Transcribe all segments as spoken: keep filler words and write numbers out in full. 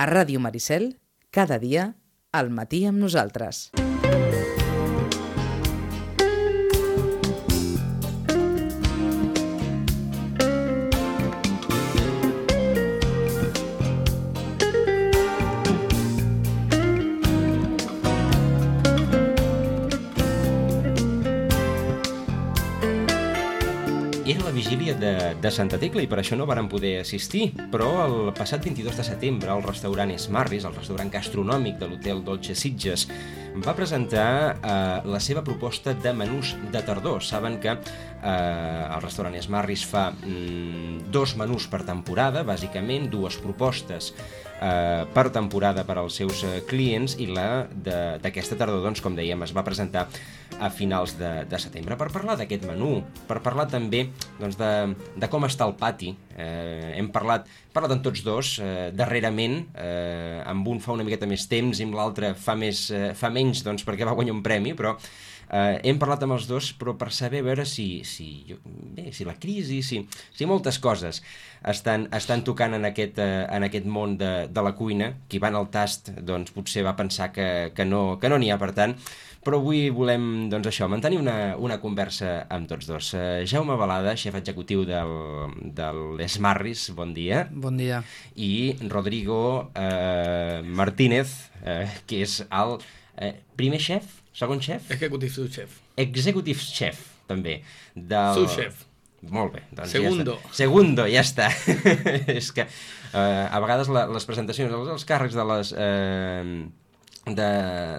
A Ràdio Maricel, cada dia, al matí amb nosaltres. Era la vigília de, de Santa Tecla i per això no vàrem poder assistir, però el passat vint-i-dos de setembre el restaurant Smarris, el restaurant gastronòmic de l'Hotel Dolce Sitges, va presentar eh, la seva proposta de menús de tardor. Saben que eh, el restaurant Smarris fa mm, dos menús per temporada, bàsicament, dues propostes eh, per temporada per als seus eh, clients, i la d'aquesta tardor, doncs, com dèiem, es va presentar a finals de, de setembre. Per parlar d'aquest menú, per parlar també doncs, de, de com està el pati, eh, hem parlat, parlat amb tots dos, eh, darrerament, eh, amb un fa una miqueta més temps i amb l'altre fa, més, eh, fa menys, doncs, perquè va guanyar un premi, però eh, hem parlat amb els dos, però per saber a veure si, si, bé, si la crisi, si, si moltes coses estan, estan tocant en aquest, eh, en aquest món de, de la cuina. Qui va en el tast, doncs, potser va pensar que, que no que no n'hi ha, per tant, però avui volem, doncs això, mantenir una, una conversa amb tots dos. Uh, Jaume Balada, xef executiu del, del Smarris, bon dia. Bon dia. I Rodrigo uh, Martínez, uh, que és el uh, primer xef, segon xef? Executive sous chef. Executive chef, també. Del... Sous chef. Molt bé. Doncs Segundo. Ja està. Segundo, ja està. És que uh, a vegades la, les presentacions, els, els càrrecs de les... Uh, De,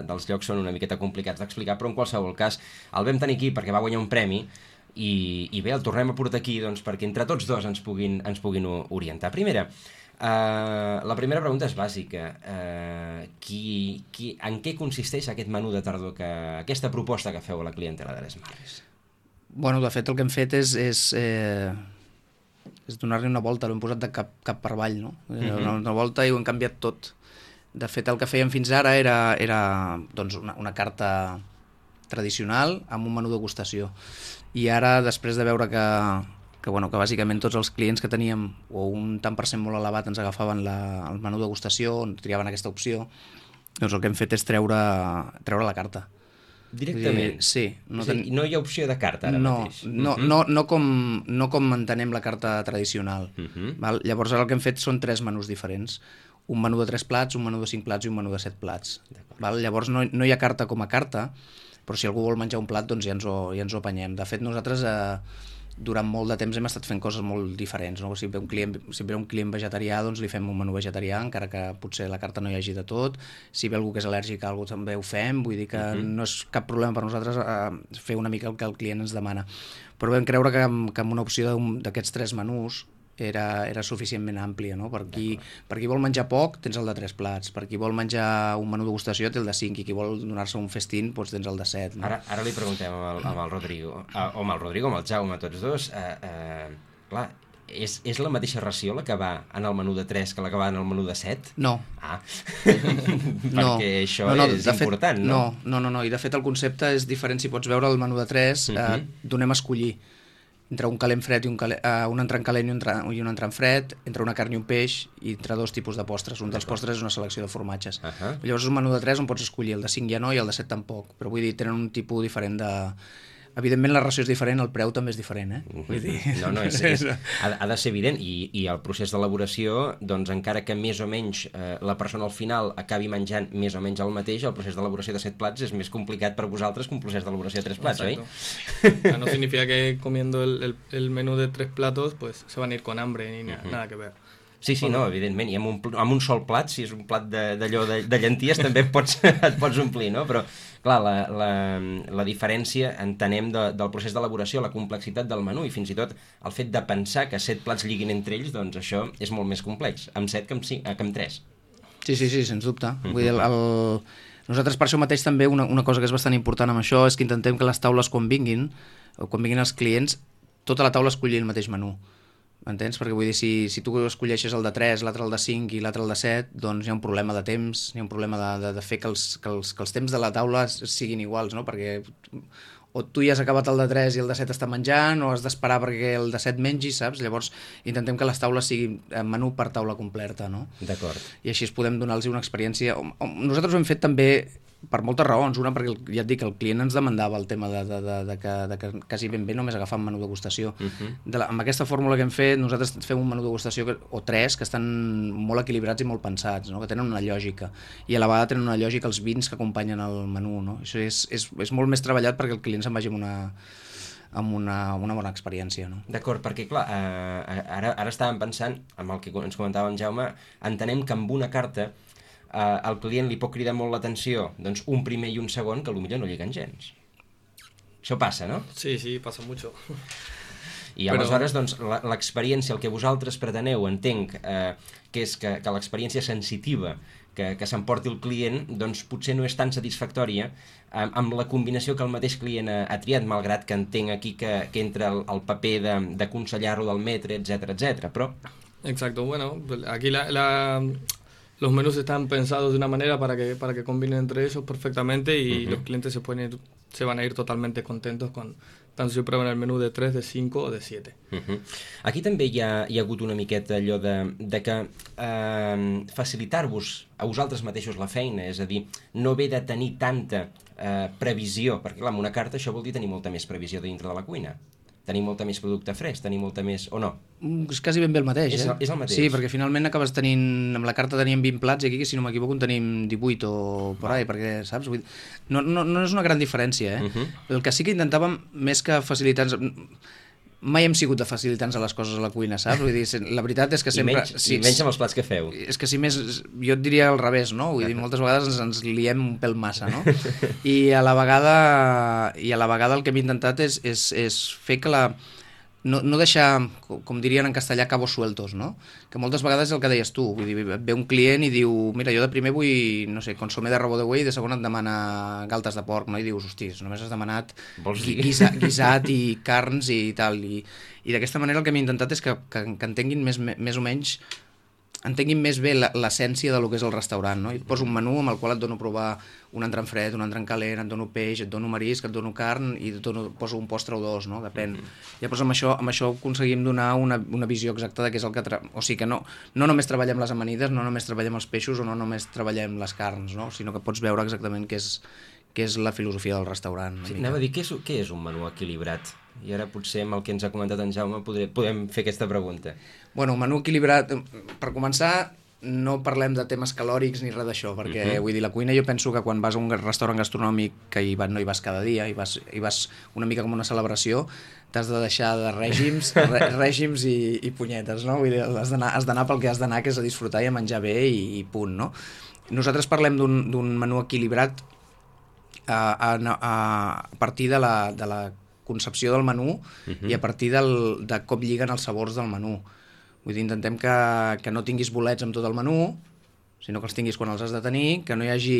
dels llocs són una miqueta complicats d'explicar, però en qualsevol cas el vam tenir aquí perquè va guanyar un premi i, i bé, el tornem a portar aquí doncs, perquè entre tots dos ens puguin, ens puguin orientar. Primera, uh, la primera pregunta és bàsica. Uh, qui, qui, en què consisteix aquest menú de tardor, que, aquesta proposta que feu a la clientela de l'Smarris? Bueno, de fet el que hem fet és, és, eh, és donar-li una volta, l'hem posat de cap, cap per avall, no? Uh-huh. una, una volta i ho hem canviat tot. De fet, el que fèiem fins ara era, era doncs una, una carta tradicional amb un menú de degustació. I ara, després de veure que, que, bueno, que bàsicament tots els clients que teníem, o un tant per cent molt elevat, ens agafaven la, el menú de degustació, on triaven aquesta opció, doncs el que hem fet és treure, treure la carta. Directament? Dir, sí. No, ten... no hi ha opció de carta ara no, mateix? No, uh-huh. no, no, com, no com entenem la carta tradicional. Uh-huh. Val? Llavors ara el que hem fet són tres menús diferents. Un menú de tres plats, un menú de cinc plats i un menú de set plats. Val? Llavors no, no hi ha carta com a carta, però si algú vol menjar un plat doncs ja ens ho, ja ens ho apanyem. De fet, nosaltres eh, durant molt de temps hem estat fent coses molt diferents. No? Si ve un client, si ve un client vegetarià, doncs li fem un menú vegetarià, encara que potser la carta no hi hagi de tot. Si ve algú que és al·lèrgic a alguna cosa també ho fem, vull dir que uh-huh. no és cap problema per nosaltres eh, fer una mica el que el client ens demana. Però vam creure que, que amb una opció d'aquests tres menús Era, era suficientment àmplia, no? Per qui, per qui vol menjar poc, tens el de tres plats. Per qui vol menjar un menú de degustació, té el de cinc. I qui vol donar-se un festín, doncs tens el de set. No? Ara, ara li preguntem amb el, amb el Rodrigo, uh, o amb el Rodrigo, amb el Jaume, tots dos. Uh, uh, clar, és, és la mateixa ració la que va en el menú de tres que la que va en el menú de set? No. Ah, perquè no. això no, no, és important, fet, no? no? No, no, no, i de fet el concepte és diferent. Si pots veure el menú de tres, uh-huh. eh, donem a escollir entre un calent fred i un, calent, uh, un entrant calent i un, i un entrant fred, entre una carn i un peix, i entre dos tipus de postres. Un dels postres és una selecció de formatges. Uh-huh. Llavors és un menú de tres on pots escollir, el de cinc ja no i el de set tampoc, però vull dir, tenen un tipus diferent de... Evidentment la ració és diferent, el preu també és diferent, eh? Vull dir... No, no, és, és, ha, ha de ser evident, i, i el procés d'elaboració, doncs encara que més o menys eh, la persona al final acabi menjant més o menys el mateix, el procés d'elaboració de set plats és més complicat per vosaltres que un procés d'elaboració de tres plats, Exacto. oi? No significa que comiendo el, el, el menú de tres platos pues se van a ir con hambre ni uh-huh. nada que ver. Sí, sí, no, evidentment, i amb un, amb un sol plat, si és un plat d'allò de, de, de llenties, també et pots, et pots omplir, no? Però, clar, la, la, la diferència, entenem, de, del procés d'elaboració, la complexitat del menú, i fins i tot el fet de pensar que set plats lliguin entre ells, doncs això és molt més complex, amb set que amb, cinc, que amb tres. Sí, sí, sí, sens dubte. Uh-huh. Vull dir, el, el... Nosaltres per això mateix també una, una cosa que és bastant important amb això és que intentem que les taules quan vinguin, o quan vinguin els clients, tota la taula escolli el mateix menú. M'entens? Perquè vull dir, si, si tu escolleixes el de tres, l'altre el de cinc i l'altre el de set, doncs hi ha un problema de temps, hi ha un problema de, de, de fer que els, que, els, que els temps de la taula siguin iguals, no? Perquè o tu ja has acabat el de tres i el de set està menjant, o has d'esperar perquè el de set mengi, saps? Llavors intentem que les taules siguin menú per taula completa, no? D'acord. I així podem donar-los una experiència. Nosaltres ho hem fet també per moltes raons. Una, perquè ja et dic, el client ens demandava el tema de, de, de, de, que, de que quasi ben bé només agafar un menú degustació. Uh-huh. de la, amb aquesta fórmula que hem fet, nosaltres fem un menú degustació que, o tres que estan molt equilibrats i molt pensats, no? Que tenen una lògica. I a la vegada tenen una lògica els vins que acompanyen el menú, no? Això és, és, és molt més treballat perquè el client se'n vagi amb una, amb una, una bona experiència, no? D'acord, perquè clar, eh, ara, ara estàvem pensant, amb el que ens comentava en Jaume, entenem que amb una carta Uh, el client li pot cridar molt l'atenció doncs un primer i un segon que potser no lliguen gens. Això passa, no? Sí, sí, passa mucho. I Però... aleshores, doncs, l'experiència, el que vosaltres preteneu, entenc, eh, que és que, que l'experiència sensitiva que, que s'emporti el client, doncs potser no és tan satisfactòria eh, amb la combinació que el mateix client ha, ha triat, malgrat que entenc aquí que, que entra el, el paper d'aconsellar-lo del metre, etcètera, etcètera. Però... Exacto, bueno, aquí la... la... los menús están pensados de una manera para que para que combinen entre ellos perfectamente y uh-huh. los clientes se pueden ir, se van a ir totalmente contentos con tanto si prueben el menú de tres, de cinco o de siete. Uh-huh. Aquí també hi ha, hi ha hagut una miqueta allò de, de que eh, facilitar-vos a vosaltres mateixos la feina, és a dir, no haver de tenir tanta eh, previsió, perquè clar, amb una carta això vol dir tenir molta més previsió dintre de la cuina. Tenir molta més producte fresc, tenir molta més... o no? És quasi ben bé el mateix, és, eh? És el mateix. Sí, perquè finalment acabes tenint... Amb la carta teníem vint plats i aquí, si no m'equivoco, en tenim divuit o por ahí, perquè, saps? Vull dir, no, no, no és una gran diferència, eh? Uh-huh. El que sí que intentàvem, més que facilitar-nos... Mai hem sigut de facilitar-nos les coses a la cuina, saps? Vull dir, la veritat és que sempre... I menys, sí, i menys amb els plats que feu. És que si més... Jo et diria al revés, no? Vull dir, moltes vegades ens, ens liem un pèl massa, no? I a la vegada, i a la vegada el que hem intentat és, és, és fer que la... No, no deixar, com dirien en castellà, cabos sueltos, no? Que moltes vegades és el que deies tu, vull dir, ve un client i diu, mira, jo de primer vull, no sé, consomé de rabo de buey i de segon et demana galtes de porc, no? I dius, hosti, només has demanat guisa, guisat i carns i tal, i, i d'aquesta manera el que hem intentat és que, que, que entenguin més, més o menys, entenguin més bé l'essència de lo que és el restaurant, no? I et poso un menú amb el qual et dono a provar un entrant fred, un entrant calent, et dono peix, et dono marisc, et dono carn i et dono, poso un postre o dos, no? Depèn. Mm-hmm. Llavors amb això, amb això aconseguim donar una, una visió exacta de què és el que... Tra... O sigui que no, no només treballem les amanides, no només treballem els peixos o no només treballem les carns, no? Sinó que pots veure exactament què és, què és la filosofia del restaurant. Sí, anava a dir, què és, què és un menú equilibrat? I ara potser amb el que ens ha comentat en Jaume podré, podem fer aquesta pregunta. Bueno, menú equilibrat, per començar, no parlem de temes calòrics ni res d'això, perquè uh-huh. vull dir, la cuina jo penso que quan vas a un restaurant gastronòmic que hi va, no hi vas cada dia, hi vas, hi vas una mica com una celebració, t'has de deixar de règims, re, règims i, i punyetes, no? Vull dir, has d'anar pel que has d'anar, que és a disfrutar i a menjar bé i, i punt, no? Nosaltres parlem d'un menú equilibrat a, a, a partir de la, de la concepció del menú uh-huh. i a partir del, de com lliguen els sabors del menú. Vull dir, intentem que, que no tinguis bolets amb tot el menú, sinó que els tinguis quan els has de tenir, que no hi hagi...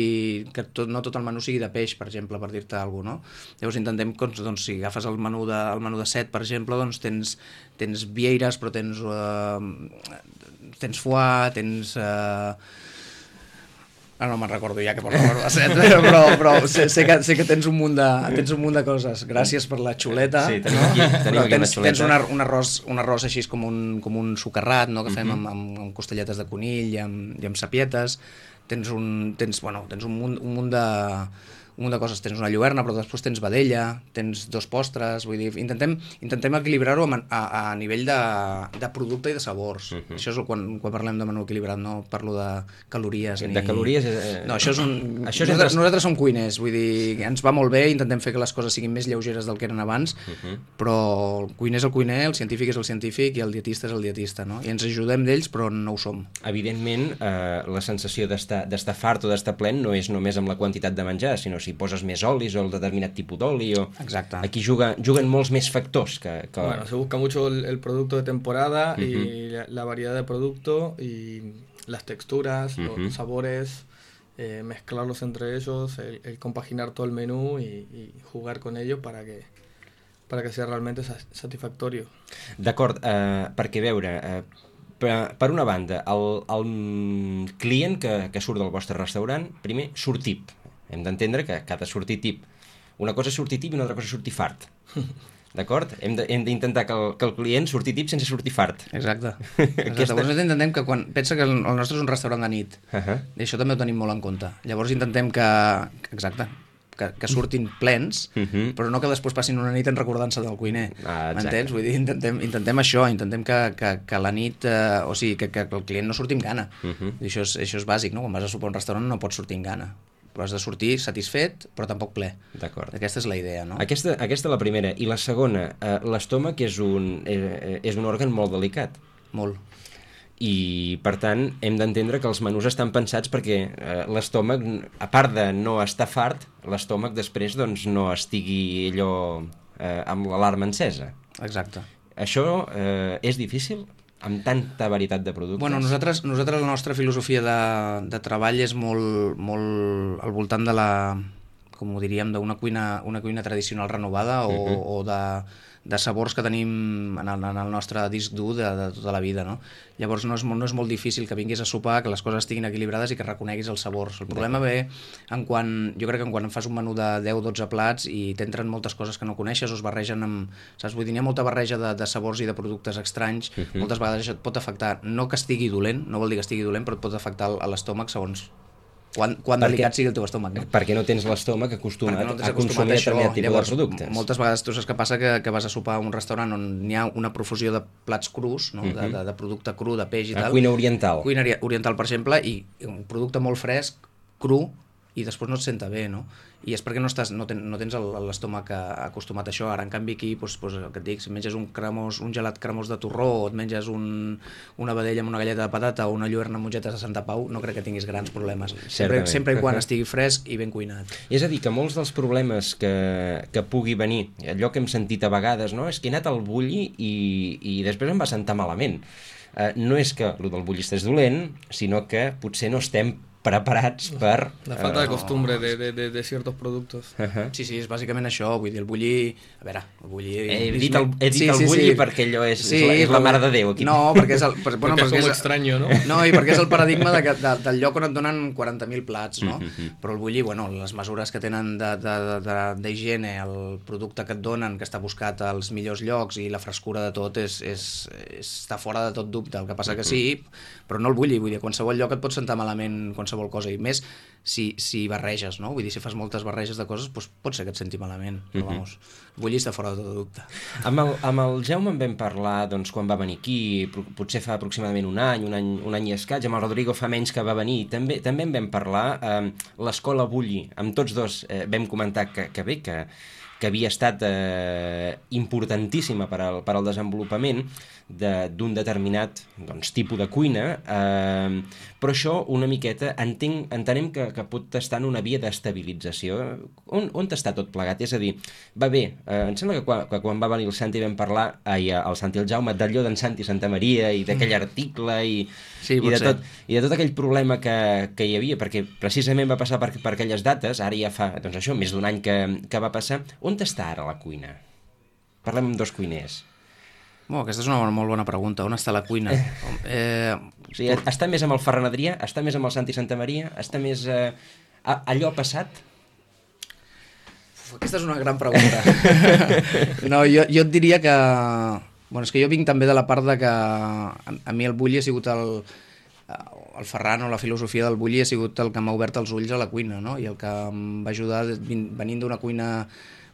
que tot, no tot el menú sigui de peix, per exemple, per dir-te alguna cosa, no? Llavors intentem que, doncs, si agafes el menú de, el menú de set, per exemple, doncs tens, tens vieires, però tens... Uh, tens foie, tens... Uh, Ah, no me'n recordo ja que porto el de set, però, però sé, sé, que, sé que tens un munt de, tens un munt de coses. Gràcies per la xuleta. Sí, tenim aquí, tenim aquí tens, una xuleta. Tens un, ar, un, arròs, un arròs així com un, com un socarrat, no? Que fem uh-huh. amb, amb, amb costelletes de conill i amb, i amb sapietes. Tens un, tens, bueno, tens un munt, un munt de... un munt de coses, tens una lluerna, però després tens vedella, tens dos postres, vull dir, intentem, intentem equilibrar-ho a, a, a nivell de, de producte i de sabors. Uh-huh. Això és quan, quan parlem de menú equilibrat, no parlo de calories. De ni... calories? Eh... No, això és un... Això és nosaltres, entre... nosaltres som cuiners, vull dir, ens va molt bé, intentem fer que les coses siguin més lleugeres del que eren abans, uh-huh. però el cuiner és el cuiner, el científic és el científic i el dietista és el dietista, no? I ens ajudem d'ells, però no ho som. Evidentment, eh, la sensació d'estar d'estar fart o d'estar plen no és només amb la quantitat de menjar, sinó si poses més olis o el determinat tipus d'oli o... Exacte. Aquí juga, juguen molts més factors que... que... Bueno, se busca mucho el, el producto de temporada uh-huh. y la, la variedad de producto y las texturas, uh-huh. los sabores, eh, mezclarlos entre ellos, el, el compaginar todo el menú y, y jugar con ellos para que para que sea realmente satisfactorio. D'acord, eh, perquè veure... Eh, per, per una banda, el, el client que, que surt del vostre restaurant, primer, surt tip. Hem d'entendre que cada sortir tip una cosa és sortir tip i una altra cosa és sortir fart. D'acord? Hem d'intentar que, el, que el client surti tip sense sortir fart. Exacte. Exacte. Aquesta... Llavors intentem que quan... Pensa que el nostre és un restaurant de nit. Uh -huh. I això també ho tenim molt en compte. Llavors intentem que... Exacte. Que, que surtin plens, uh -huh. però no que després passin una nit en recordant-se del cuiner. Ah, m'entens? Vull dir, intentem, intentem això, intentem que, que, que la nit... Eh, o sigui, que, que el client no surti amb gana. Uh -huh. I això és, això és bàsic, no? Quan vas a sopar a un restaurant no pots sortir amb gana. Però has de sortir satisfet, però tampoc ple. D'acord. Aquesta és la idea, no? Aquesta, aquesta la primera. I la segona, eh, l'estómac és, un, eh, és un òrgan molt delicat. Molt. I, per tant, hem d'entendre que els menús estan pensats perquè eh, l'estómac, a part de no estar fart, l'estómac després doncs, no estigui allò eh, amb l'alarma encesa. Exacte. Això eh, és difícil? Amb tanta varietat de productes? Bueno, nosaltres, nosaltres la nostra filosofia de, de treball és molt, molt al voltant de la, com ho diríem, d'una cuina, una cuina tradicional renovada o, uh-huh. o de, de sabors que tenim en el, en el nostre disc dur de, de tota la vida, no? Llavors no és, no és molt difícil que vinguis a sopar, que les coses estiguin equilibrades i que reconeguis els sabors. El problema ve en quan, jo crec que en quan fas un menú de deu o dotze plats i t'entren moltes coses que no coneixes o es barregen amb... Saps? Vull dir, hi ha molta barreja de, de sabors i de productes estranys, uh-huh. moltes vegades això et pot afectar, no que estigui dolent, no vol dir que estigui dolent, però et pot afectar a l'estómac segons quan, quan perquè, delicat sigui el teu estómac. No? Perquè no tens l'estómac acostumat, no a consumir determinat tipus Llavors, de productes. Moltes vegades tu saps què passa que, que vas a sopar a un restaurant on hi ha una profusió de plats crus, no? uh-huh. de, de, de producte cru, de peix i a tal. Cuina oriental. Cuina oriental, per exemple, i un producte molt fresc, cru, i després no et senta bé, no? I és perquè no, estàs, no, ten, no tens l'estómac acostumat a això. Ara, en canvi, aquí, doncs, doncs, el que et dic, si menges un, cremós, un gelat cremós de torró o et menges un, una vedella amb una galleta de patata o una lluerna amb mongetes de Santa Pau, no crec que tinguis grans problemes. Sempre, sempre i quan estigui fresc i ben cuinat. És a dir, que molts dels problemes que, que pugui venir, allò que hem sentit a vegades, no? És que he anat al bulli i, i després em va sentar malament. Uh, no és que el del bullista és dolent, sinó que potser no estem preparats per... La falta de costumbre de, de, de, de ciertos productos. Uh-huh. Sí, sí, és bàsicament això. Vull dir, el bulli... A veure, el bulli... He dit el, he dit sí, el sí, bulli sí. perquè allò és, sí, és, la, és la mare de Déu. Aquí. No, perquè és el... Per, bueno, perquè, perquè és és estrany, no? No, i perquè és el paradigma de, de, del lloc on et donen quaranta mil plats, no? Uh-huh. Però el bulli, bueno, les mesures que tenen d'higiene, el producte que et donen, que està buscat als millors llocs i la frescura de tot és, és, és, està fora de tot dubte. El que passa que sí, però no el bulli. Vull dir, a qualsevol lloc et pot sentar malament qualsevol cosa, i més si, si barreges, no? Vull dir, si fas moltes barreges de coses, doncs pot ser que et senti malament, però uh-huh. vamos, el bulli està fora de tot dubte. Amb el, amb el Jaume en vam parlar, doncs, quan va venir aquí, potser fa aproximadament un any, un any, un any i escaig, amb el Rodrigo fa menys que va venir, també, també en vam parlar, eh, l'escola Bulli, amb tots dos eh, vam comentar que, que bé, que, que havia estat eh, importantíssima per al, per al desenvolupament d'un de, determinat doncs, tipus de cuina, eh, però això una miqueta entenc, entenem que, que pot estar en una via d'estabilització. On, on està tot plegat? És a dir, va bé, eh, em sembla que quan, que quan va venir el Santi vam parlar, ai, el Santi i el Jaume, d'allò d'en Santi Santa Maria i d'aquell article i, sí, i, de tot, i de tot aquell problema que, que hi havia, perquè precisament va passar per, per aquelles dates, ara ja fa doncs això, més d'un any que, que va passar. On està ara la cuina? Parlem amb dos cuiners. Bueno, aquesta és una molt bona pregunta. On està la cuina? Eh, o sigui, està més amb el Ferran Adrià? Està més amb el Santi Santa Maria? Està més... Eh, allò passat? Uf, aquesta és una gran pregunta. No, jo, jo et diria que... Bueno, és que jo vinc també de la part de que a, a mi el bulli ha sigut el... el Ferran o la filosofia del bulli ha sigut el que m'ha obert els ulls a la cuina, no? I el que em va ajudar venint d'una cuina,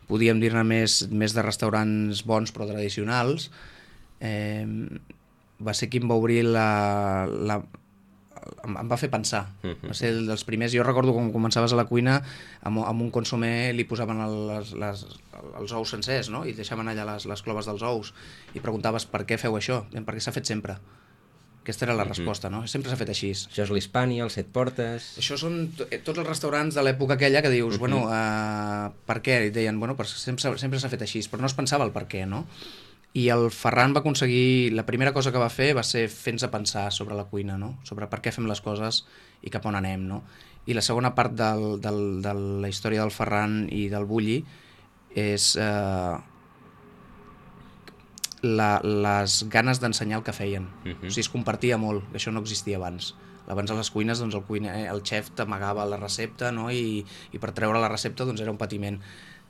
podíem dir-ne més, més de restaurants bons però tradicionals, eh, va ser qui em va obrir la... la em, em va fer pensar. Uh-huh. Va ser dels primers. Jo recordo quan començaves a la cuina, amb, amb un consomé li posaven el, les, les, els ous sencers, no? I deixaven allà les, les cloves dels ous. I preguntaves per què feu això? Perquè s'ha fet sempre. Aquesta era la resposta, no? Sempre s'ha fet així. Això és l'Hispània, els Set Portes... Això són tots els restaurants de l'època aquella que dius, uh-huh. bueno, uh, per què? I deien, bueno, sempre, sempre s'ha fet així, però no es pensava el per què, no? I el Ferran va aconseguir... La primera cosa que va fer va ser fer-nos pensar sobre la cuina, no? Sobre per què fem les coses i cap on anem, no? I la segona part del, del, de la història del Ferran i del bulli és... Uh, La, les ganes d'ensenyar el que feien. Uh-huh. O sigui, es compartia molt, que això no existia abans. Abans a les cuines, doncs, el, cuiner, el xef t'amagava la recepta, no? I, i per treure la recepta doncs, era un patiment.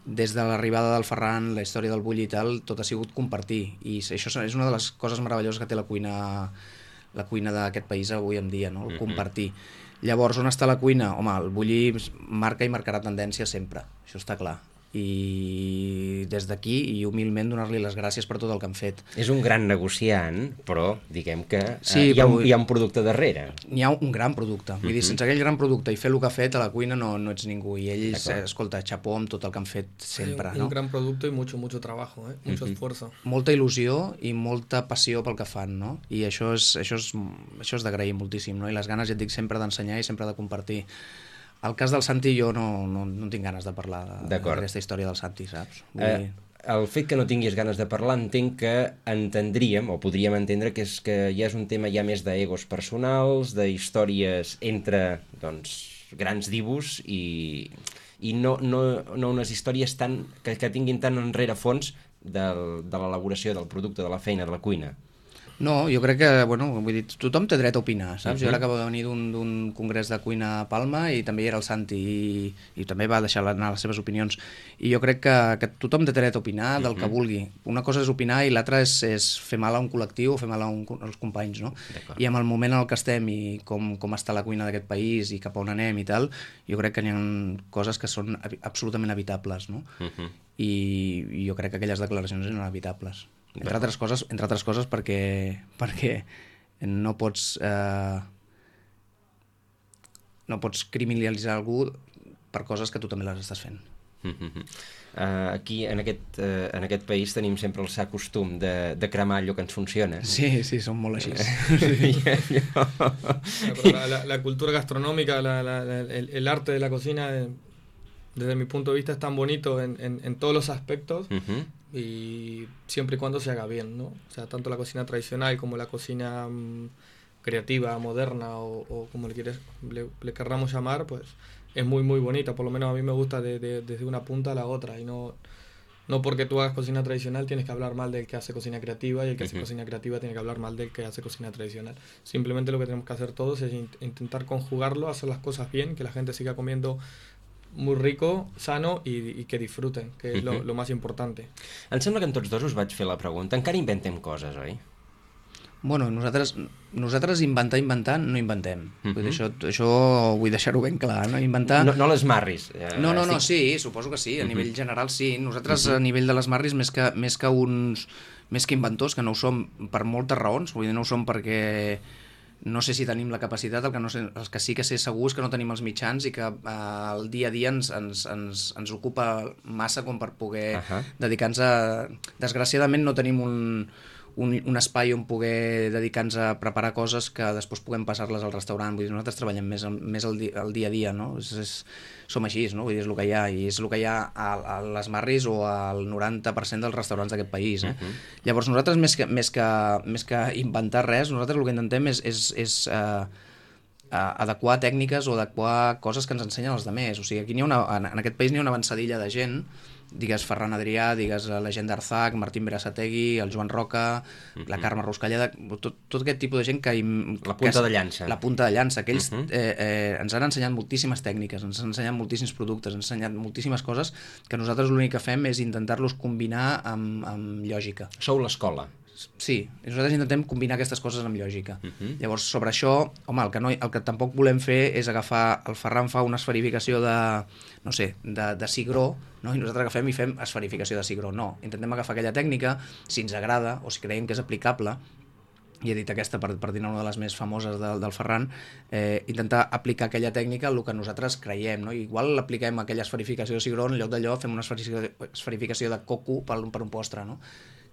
des de l'arribada del Ferran, la història del bulli i tal, tot ha sigut compartir, i això és una de les coses meravelloses que té la cuina la cuina d'aquest país avui en dia, no? El compartir. Llavors, on està la cuina? Home, el bulli marca i marcarà tendència sempre, això està clar. I des d'aquí, i humilment, donar-li les gràcies per tot el que han fet. És un gran negociant, però diguem que eh, Sí, hi, ha un, però- hi ha un producte darrere. N'hi ha un gran producte. Vull dir, sense aquell gran producte i fer el que ha fet a la cuina no, no ets ningú. I ells, D'acord. eh, escolta, xapó amb tot el que han fet sempre, un, no? un gran producto y mucho, mucho trabajo, ¿eh? Mucho esfuerzo. Molta il·lusió i molta passió pel que fan, no? I això és, això és, això és d'agrair moltíssim, no? I les ganes, ja et dic, sempre d'ensenyar i sempre de compartir. El cas del Santi jo no, no, no tinc ganes de parlar de- D'acord. d'aquesta història del Santi, saps? Vull Eh, dir, el fet que no tinguis ganes de parlar entenc que entendríem, o podríem entendre, que és que ja és un tema ja més d'egos personals, de històries entre, doncs, grans divus i, i no, no, no unes històries tan, que, que tinguin tant enrere fons del, de l'elaboració del producte, de la feina, de la cuina. No, jo crec que, bueno, vull dir, tothom té dret a opinar, saps? Uh -huh. Jo ara acabo de venir d'un d'un congrés de cuina a Palma i també hi era el Santi i, i també va deixar anar les seves opinions. I jo crec que, que tothom té dret a opinar del que vulgui. Una cosa és opinar i l'altra és, és fer mal a un col·lectiu o fer mal a un, als companys, no? I amb el moment en el que estem i com, com està la cuina d'aquest país i cap a on anem i tal, jo crec que n'hi ha coses que són absolutament evitables, no? Uh -huh. I, i jo crec que aquelles declaracions eren evitables. Entre altres coses, entre altres coses perquè, perquè no pots eh, no pots criminalitzar algú per coses que tu també les estàs fent. Uh, aquí, en aquest, uh, en aquest país, tenim sempre el sa costum de, de cremar allò que ens funciona. Sí, sí, són molt així. Pero la, la- la cultura gastronómica, la- la- la- el, el arte de la cocina, eh, desde mi punto de vista, es tan bonito en, en- en todos los aspectos Uh-huh. y siempre y cuando se haga bien, ¿no? O sea, tanto la cocina tradicional como la cocina mm, creativa, moderna o, o como le, quieres, le, le querramos llamar, pues es muy, muy bonita. Por lo menos a mí me gusta de- de- desde una punta a la otra y no... No porque tú hagas cocina tradicional tienes que hablar mal del que hace cocina creativa y el que hace Ujú. cocina creativa tiene que hablar mal del que hace cocina tradicional. Simplemente lo que tenemos que hacer todos es in- intentar conjugarlo, hacer las cosas bien, que la gente siga comiendo muy rico, sano y, y que disfruten, que es lo, Ujú. lo más importante. Em sembla que en tots dos us vaig fer la pregunta. Encara inventem coses, oi? Bueno, nosaltres, nosaltres inventar, inventar, no inventem. Mhm. Vull dir, això, això vull deixar-ho ben clar, no? Inventar... No, no les marris. Eh, No, no, no, estic- sí, suposo que sí, a Mhm. nivell general sí. Nosaltres a nivell de les Marris, més que, més que uns més que inventors, que no ho som per moltes raons, vull dir, no ho som perquè no sé si tenim la capacitat, el que, no sé, el que sí que sé segur és que no tenim els mitjans i que eh, el dia a dia ens, ens, ens, ens ocupa massa com per poder Ahà. dedicar-nos a... Desgraciadament no tenim un, un, un espai on poder dedicar-nos a preparar coses que després puguem passar-les al restaurant. Vull dir, nosaltres treballem més, més el, di, el dia a dia, no? És, és, som així, no? Vull dir, és el que hi ha, i és el que hi ha a, a les Marris o al noranta per cent dels restaurants d'aquest país. Eh? Mhm. Llavors nosaltres, més que, més, que, més que inventar res, nosaltres el que intentem és, és, és eh, eh, adequar tècniques o adequar coses que ens ensenyen els altres. O sigui, aquí n'hi ha una, en, en aquest país n'hi ha una avançadilla de gent, digues Ferran Adrià, digues la gent d'Arzac, Martín Berasategui, el Joan Roca, la Carme Ruscalleda, tot, tot aquest tipus de gent que... La punta que, de llança. La punta de llança, que ells Mhm. eh, eh, ens han ensenyat moltíssimes tècniques, ens han ensenyat moltíssims productes, ens han ensenyat moltíssimes coses que nosaltres l'únic que fem és intentar-los combinar amb, amb lògica. Sou l'escola. Sí, nosaltres intentem combinar aquestes coses amb lògica. Mhm. Llavors, sobre això, home, el que, no, el que tampoc volem fer és agafar... El Ferran fa una esferificació de, no sé, de, de cigró, no? I nosaltres agafem i fem esferificació de cigró. No, intentem agafar aquella tècnica, si ens agrada o si creiem que és aplicable, i he dit aquesta per, per dir una de les més famoses del, del Ferran, eh, intentar aplicar aquella tècnica al que nosaltres creiem, no? Igual l'apliquem aquella esferificació de cigró, en lloc d'allò fem una esferificació, esferificació de coco per, per un postre, no?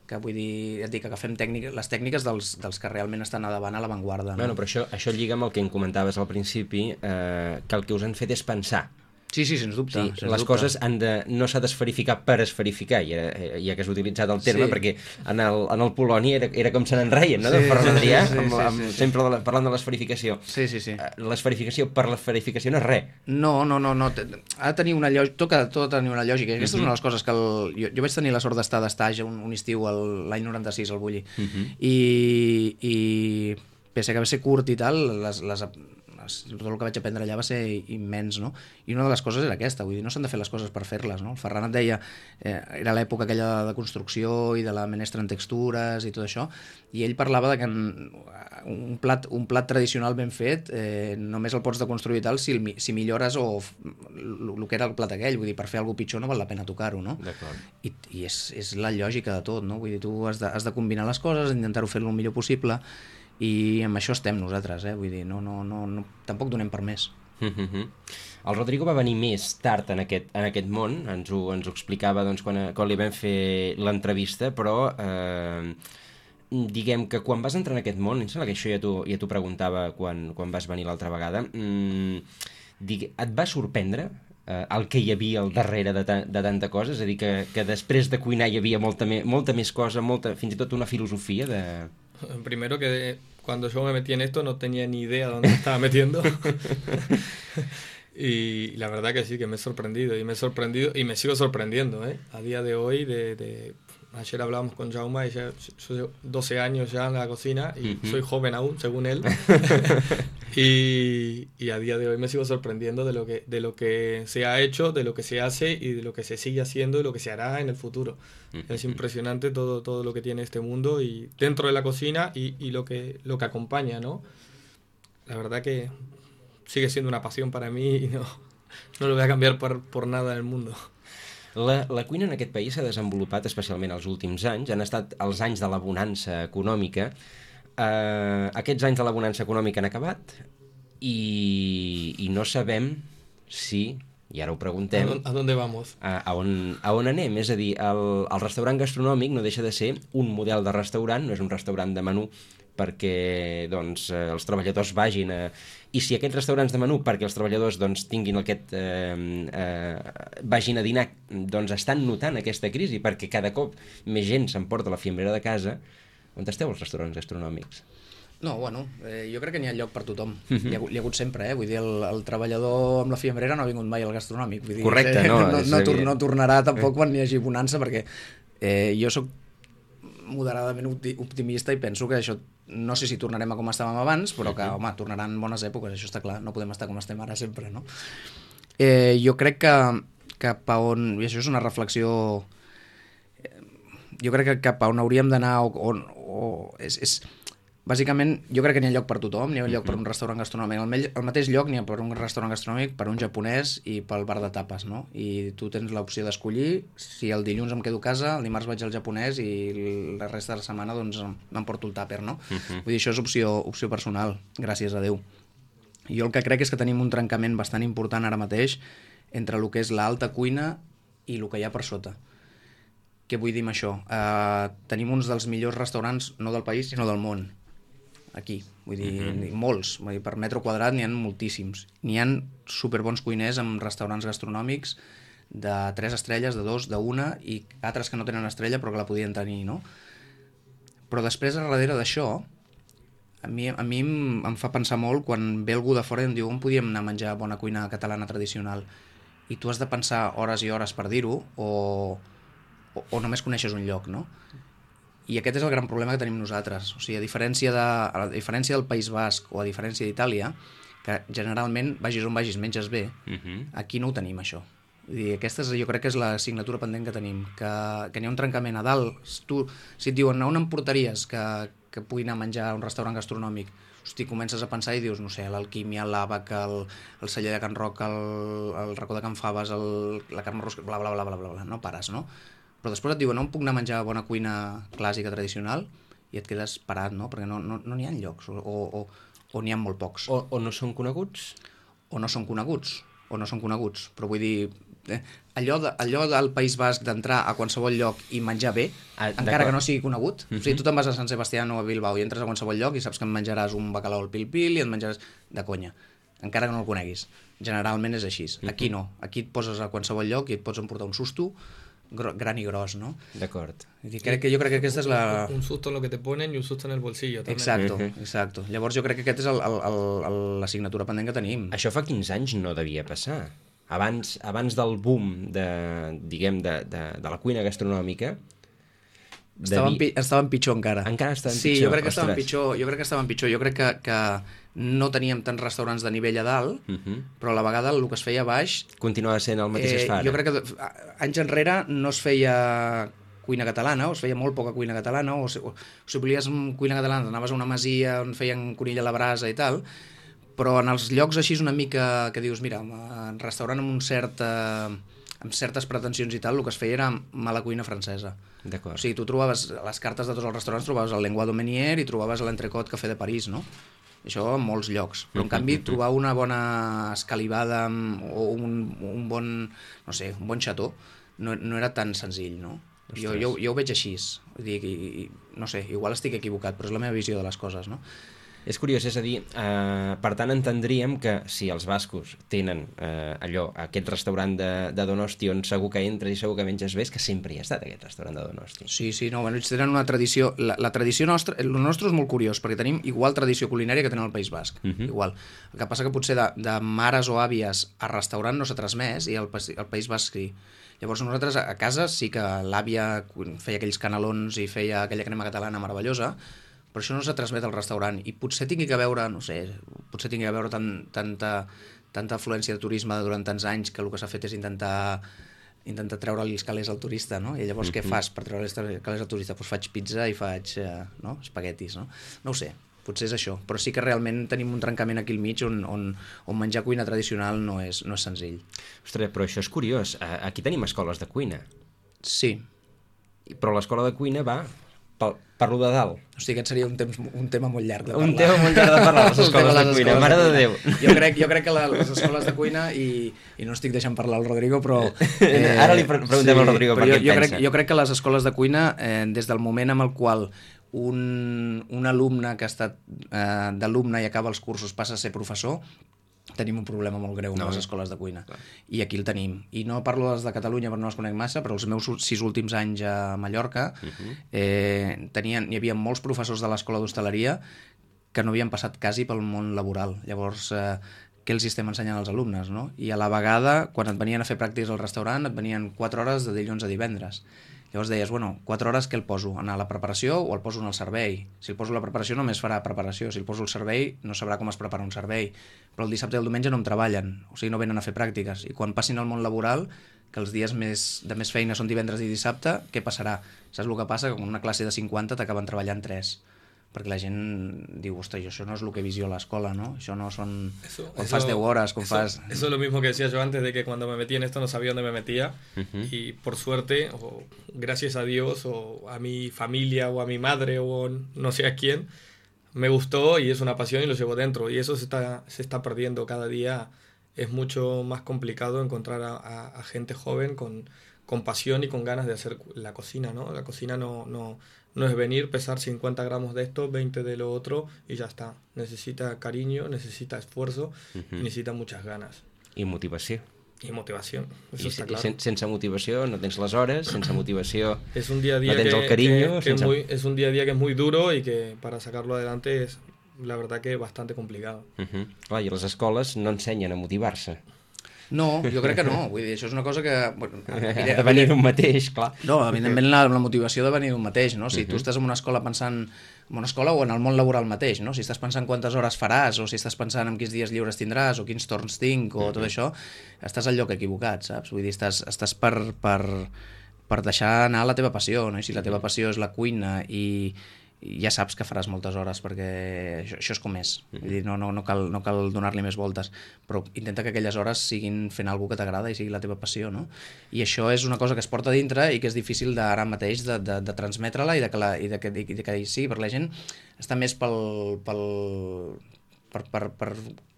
Que vull dir, et dic, agafem tècniques, les tècniques dels, dels que realment estan a davant a l'avantguarda. No? Bueno, però això, això lliga amb el que em comentaves al principi, eh, que el que us han fet és pensar. Sí, sí, sens dubte. Sí, sens les dubte. coses han de, no s'ha d'esferificar per esferificar, ja, ja que has utilitzat el terme, Sí. perquè en el, en el Polònia era, era com se n'en reien, no? De Sí, Ferran sí, Adrià, sí, sí, amb, sí, amb, sí, sí. sempre de la, parlant de l'esferificació. Sí, sí, sí. Eh, L'esferificació per l'esferificació no és res. No, no, no, no. Ha de tenir una lògica, tot, ha- tot ha de tenir una lògica. I aquesta Mhm. és una de les coses que... El, jo, jo vaig tenir la sort d'estar d'estatge un, un estiu el- l'any noranta-sis al Bulli. Mhm. I, I pese que va ser curt i tal, les, les, tot el que vaig aprendre allà va ser immens, no? I una de les coses era aquesta, vull dir, no s'han de fer les coses per fer-les, no? El Ferran et deia, eh, era l'època aquella de construcció i de la menestra en textures i tot això, i ell parlava de que un plat, un plat tradicional ben fet eh, només el pots deconstruir i tal si, el, si millores o el que era el plat aquell, vull dir, per fer alguna pitjor no val la pena tocar-ho, no? I, i és, és la lògica de tot, no? Vull dir, tu has de, has de combinar les coses, intentar-ho fer-lo el millor possible, i amb això estem nosaltres, eh? Vull dir, no, no, no, no, tampoc donem per més. Mm-hmm. El Rodrigo va venir més tard en aquest, en aquest món, ens ho, ens ho explicava doncs, quan, quan li vam fer l'entrevista, però eh, diguem que quan vas entrar en aquest món, em sembla que això ja t'ho ja t'ho preguntava quan, quan vas venir l'altra vegada, mm, digue, et va sorprendre eh, el que hi havia al darrere de, ta, de tanta cosa? És a dir, que, que després de cuinar hi havia molta, me, molta més cosa, molta, fins i tot una filosofia de... Primero que cuando yo me metí en esto no tenía ni idea dónde me estaba metiendo. Y la verdad que sí, que me he sorprendido y me he sorprendido y me sigo sorprendiendo, ¿eh? A día de hoy, de, de ayer hablábamos con Jaume y ya, yo llevo doce años ya en la cocina y uh-huh. soy joven aún, según él. y, y a día de hoy me sigo sorprendiendo de lo que de lo que se ha hecho, de lo que se hace y de lo que se sigue haciendo y lo que se hará en el futuro. Uh-huh. Es impresionante todo todo lo que tiene este mundo y dentro de la cocina y, y lo que lo que acompaña, ¿no? La verdad que sigue siendo una pasión para mí y no, no lo voy a cambiar por, por nada del mundo. La, la cuina en aquest país s'ha desenvolupat especialment els últims anys, han estat els anys de la bonança econòmica. Uh, aquests anys de la bonança econòmica han acabat i, i no sabem si, i ara ho preguntem... ¿A dónde vamos? A, a, on, a on anem? És a dir, el, el restaurant gastronòmic no deixa de ser un model de restaurant, no és un restaurant de menú perquè doncs, els treballadors vagin a... I si aquests restaurants de menú, perquè els treballadors doncs, tinguin aquest... Eh, eh, vagin a dinar, doncs estan notant aquesta crisi, perquè cada cop més gent s'emporta la fiambrera de casa. On esteu els restaurants gastronòmics? No, bueno, eh, jo crec que n'hi ha lloc per tothom. Uh-huh. Hi, ha, hi ha hagut sempre, eh? Vull dir, el, el treballador amb la fiambrera no ha vingut mai al gastronòmic. Vull dir, correcte, no? no, no, tor no tornarà tampoc quan hi hagi bonança, perquè eh, jo sóc moderadament optimista i penso que això no sé si tornarem a com estàvem abans, però que, home, tornaran bones èpoques, això està clar, no podem estar com estem ara sempre, no? Eh, jo crec que cap a on, i això és una reflexió, jo crec que cap a on hauríem d'anar, o, o, o és, és, bàsicament, jo crec que n'hi ha lloc per tothom, n'hi ha lloc per un restaurant gastronòmic. Al, me al mateix lloc n'hi ha per un restaurant gastronòmic, per un japonès i pel bar de tapes, no? I tu tens l'opció d'escollir, si el dilluns em quedo a casa, el dimarts vaig al japonès i la resta de la setmana doncs m'emporto el tàper, no? Uh-huh. Vull dir, això és opció, opció personal, gràcies a Déu. Jo el que crec és que tenim un trencament bastant important ara mateix entre el que és l'alta cuina i el que hi ha per sota. Què vull dir amb això? Uh, tenim uns dels millors restaurants, no del país, sinó del món. Aquí, vull dir, mm-hmm. molts, vull dir, per metre quadrat n'hi ha moltíssims. N'hi ha superbons cuiners amb restaurants gastronòmics de tres estrelles, de dos, d'una, i altres que no tenen estrella però que la podien tenir, no? Però després, a darrere d'això, a mi, a mi em, em fa pensar molt quan ve algú de fora i em diu on podíem anar a menjar bona cuina catalana tradicional, i tu has de pensar hores i hores per dir-ho, o, o, o només coneixes un lloc, no? I aquest és el gran problema que tenim nosaltres. O sigui, a diferència, de, a diferència del País Basc o a diferència d'Itàlia, que generalment, vagis on vagis, menges bé, uh-huh. aquí no ho tenim, això. Vull dir, aquesta és, jo crec que és l'assignatura pendent que tenim, que, que n'hi ha un trencament a dalt. Tu, si et diuen, on em portaries que, que pugui anar a menjar a un restaurant gastronòmic? Hosti, comences a pensar i dius, no sé, l'Alquímia, l'Àbac, el, el celler de Can Roc, el, el racó de Can Faves, el, la Carme Rosca, bla, bla, bla, bla, bla, bla, no pares, no? Però després et diuen, no em puc anar a menjar bona cuina clàssica, tradicional, i et quedes parat, no? Perquè no n'hi no, no ha llocs, o, o, o n'hi ha molt pocs. O, o no són coneguts? O no són coneguts, o no són coneguts. Però vull dir, eh, allò, de, allò del País Basc d'entrar a qualsevol lloc i menjar bé, ah, encara que no sigui conegut. Uh-huh. O sigui, tu te'n vas a Sant Sebastián o a Bilbao i entres a qualsevol lloc i saps que em menjaràs un bacalao al pil-pil i et menjaràs de conya, encara que no el coneguis. Generalment és així. Uh-huh. Aquí no. Aquí et poses a qualsevol lloc i et pots emportar un susto, gran i gros, ¿no? D'acord. Crec que jo crec que aquesta és la... Un susto en lo que te ponen i un susto en el bolsillo. També. Exacto, exacto. Llavors jo crec que aquest és l'assignatura pendent que tenim. Això fa quinze anys no devia passar. Abans, abans del boom de, diguem, de, de, de la cuina gastronòmica, Estaven, pi estaven pitjor encara. Encara estaven sí, pitjor? Jo crec que estaven Ostres. pitjor. Jo crec que estaven pitjor. Jo crec que, que no teníem tants restaurants de nivell a dalt, uh -huh. però a la vegada el que es feia a baix... Continuava sent el mateix eh, es fa ara. Jo crec que anys enrere no es feia cuina catalana, o es feia molt poca cuina catalana, o si, o si volies cuina catalana anaves a una masia on feien conill a la brasa i tal, però en els llocs així una mica que dius, mira, en restaurant amb un cert... Eh, amb certes pretensions i tal, el que es feia era mala cuina francesa. D'acord. O sigui, tu trobaves a les cartes de tots els restaurants, trobaves el Lenguado Meunier i trobaves l'entrecot Café de París, no? Això en molts llocs. Però, en canvi, trobar una bona escalivada o un, un bon, no sé, un bon xató no, no era tan senzill, no? Jo, jo, jo ho veig així. Vull dir, i, i, no sé, igual estic equivocat, però és la meva visió de les coses, no? És curiós, és a dir, eh, per tant entendríem que si els bascos tenen eh, allò, aquest restaurant de, de Donosti on segur que entres i segur que menges bé, és que sempre hi ha estat aquest restaurant de Donosti. Sí, sí, no, bueno, ells tenen una tradició, la, la tradició nostra, el nostre és molt curiós, perquè tenim igual tradició culinària que tenen al País Basc, uh -huh. igual. El que passa que potser de, de mares o àvies a restaurant no s'ha transmès i al, al País Basc sí. Llavors nosaltres a casa sí que l'àvia feia aquells canelons i feia aquella crema catalana meravellosa, però això no s'ha transmet al restaurant i potser tingui que veure, no sé, potser tingui que veure tan, tanta, tanta afluència de turisme durant tants anys que el que s'ha fet és intentar intentar treure-li els calés al turista, no? I llavors mm-hmm. què fas per treure els calés al turista? Doncs pues faig pizza i faig eh, no? espaguetis, no? No ho sé, potser és això, però sí que realment tenim un trencament aquí al mig on, on, on menjar cuina tradicional no és, no és senzill. Ostres, però això és curiós, aquí tenim escoles de cuina. Sí. Però l'escola de cuina va... Per, per lo de dalt. Hosti, aquest seria un, temps, un tema molt llarg de parlar. Un tema molt llarg de parlar, les escoles de cuina, mare de Déu. Jo crec, jo crec que la, les escoles de cuina, i, i no estic deixant parlar al Rodrigo, però... Eh, Ara li preguntem sí, al Rodrigo per què jo, jo pensa. Crec, jo crec que les escoles de cuina, eh, des del moment en el qual un, un alumne que ha estat eh, d'alumne i acaba els cursos passa a ser professor, tenim un problema molt greu amb no, les escoles de cuina. Clar. I aquí el tenim. I no parlo dels de Catalunya perquè no els conec massa, però els meus sis últims anys a Mallorca uh-huh. eh, tenien, hi havia molts professors de l'escola d'hostaleria que no havien passat quasi pel món laboral. Llavors, eh, què els estem ensenyant als alumnes, no? I a la vegada, quan et venien a fer pràctiques al restaurant, et venien quatre hores de dilluns a divendres. Llavors deies, bueno, quatre hores què el poso? Anar a la preparació o el poso en el servei? Si el poso a la preparació només farà preparació, si el poso al servei no sabrà com es prepara un servei. Però el dissabte i el diumenge no em treballen, o sigui, no venen a fer pràctiques. I quan passin al món laboral, que els dies més, de més feina són divendres i dissabte, què passarà? Saps el que passa? Que en una classe de cinquanta t'acaben treballant tres. Perquè la gent diu, ostres, això no és el que he vist jo a l'escola, ¿no? Això no son... Eso, quan eso, fas deu hores, quan eso, fas... Eso es lo mismo que decía yo antes, de que cuando me metí en esto no sabía dónde me metía. Uh-huh. Y por suerte, o gracias a Dios, o a mi familia, o a mi madre, o no sé a quién, me gustó y es una pasión y lo llevo dentro. Y eso se está, se está perdiendo cada día. Es mucho más complicado encontrar a, a, a gente joven con, con pasión y con ganas de hacer la cocina, ¿no? La cocina no... no No es venir, pesar cincuenta gramos de esto, veinte de lo otro y ya está. Necesita cariño, necesita esfuerzo, uh-huh. y necesita muchas ganas. I motivació. I motivació, eso I, está i claro. Sen, sense motivació no tens les hores, sense motivació es un día a día no tens que, el carinyo. Que, que sense... es, muy, es un día a día que es muy duro y que para sacarlo adelante es, la verdad, que bastante complicado. Uh-huh. Clar, i les escoles no ensenyen a motivar-se. No, jo crec que no. Vull dir, això és una cosa que... Bueno, ha de venir d'un mateix, clar. No, evidentment la, la motivació de venir d'un mateix, no? Si uh-huh. tu estàs en una escola pensant en una escola o en el món laboral mateix, no? Si estàs pensant quantes hores faràs, o si estàs pensant en quins dies lliures tindràs, o quins torns tinc, o uh-huh. tot això, estàs al lloc equivocat, saps? Vull dir, estàs, estàs per, per, per deixar anar la teva passió, no? I si la teva passió és la cuina i... ja saps que faràs moltes hores perquè això, això és com és. Vull dir, no, no, no cal, no cal donar-li més voltes, però intenta que aquelles hores siguin fent alguna que t'agrada i sigui la teva passió, no? I això és una cosa que es porta dintre i que és difícil d'ara mateix de, de, de transmetre-la i de que, la, i de que, i de que sí, per la gent està més pel... pel per, per, per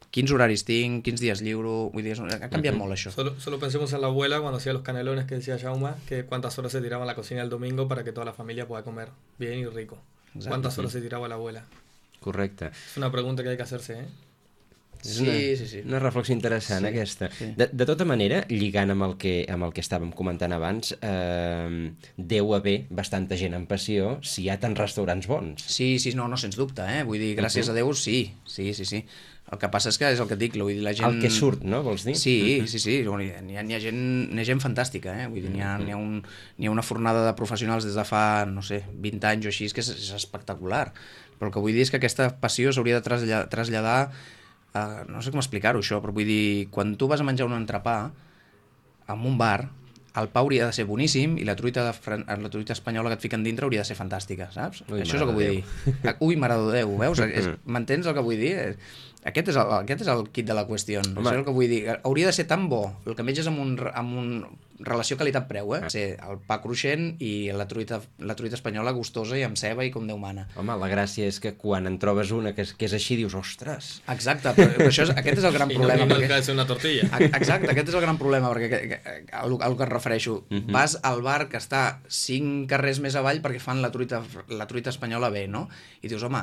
quins horaris tinc, quins dies lliuro, vull dir, ha canviat uh-huh. molt això. Solo, solo pensemos en la abuela cuando hacía los canelones que decía Jaume, que cuántas horas se tiraba en la cocina el domingo para que toda la familia pueda comer bien y rico. Exacte. ¿Cuántas horas se tirava l'abuela? Correcte. És una pregunta que hay que hacerse, eh? És una, sí, sí, sí. una reflexió interessant, sí, aquesta. Sí. De, de tota manera, lligant amb el que, amb el que estàvem comentant abans, eh, deu haver bastanta gent amb passió si hi ha tants restaurants bons. Sí, sí, no, no, sens dubte, eh? Vull dir, gràcies uh-huh. a Déu, sí, sí, sí, sí. El que passa és que és el que et dic, vull dir, la gent... El que surt, no, vols dir? Sí, sí, sí, n'hi ha, n'hi ha, gent, n'hi ha gent fantàstica, eh? Vull dir, n'hi ha, n'hi ha, un, n'hi ha una fornada de professionals des de fa, no sé, vint anys o així, que és, és espectacular. Però el que vull dir és que aquesta passió s'hauria de traslladar, traslladar a, no sé com explicar-ho això, però vull dir, quan tu vas a menjar un entrepà en un bar, el pa hauria de ser boníssim i la truita, de, la truita espanyola que et fiquen dintre hauria de ser fantàstica, saps? Ui, això és el que vull dir. Ui, mare de Déu, veus? M'entens el que vull dir? Aquest és el, aquest és el kit de la qüestió. Això és el que vull dir. Hauria de ser tan bo el que menges amb un, amb un relació qualitat-preu, eh? Ser el pa cruixent i la truita, la truita espanyola gustosa i amb ceba i com Déu mana. Home, la gràcia és que quan en trobes una que és, que és així dius, ostres... Exacte, però, però això és, aquest és el gran I problema. I no, perquè... que és una tortilla. Exacte, aquest és el gran problema, perquè al, al que et refereixo. Uh-huh. Vas al bar que està cinc carrers més avall perquè fan la truita, la truita espanyola bé, no? I dius, home,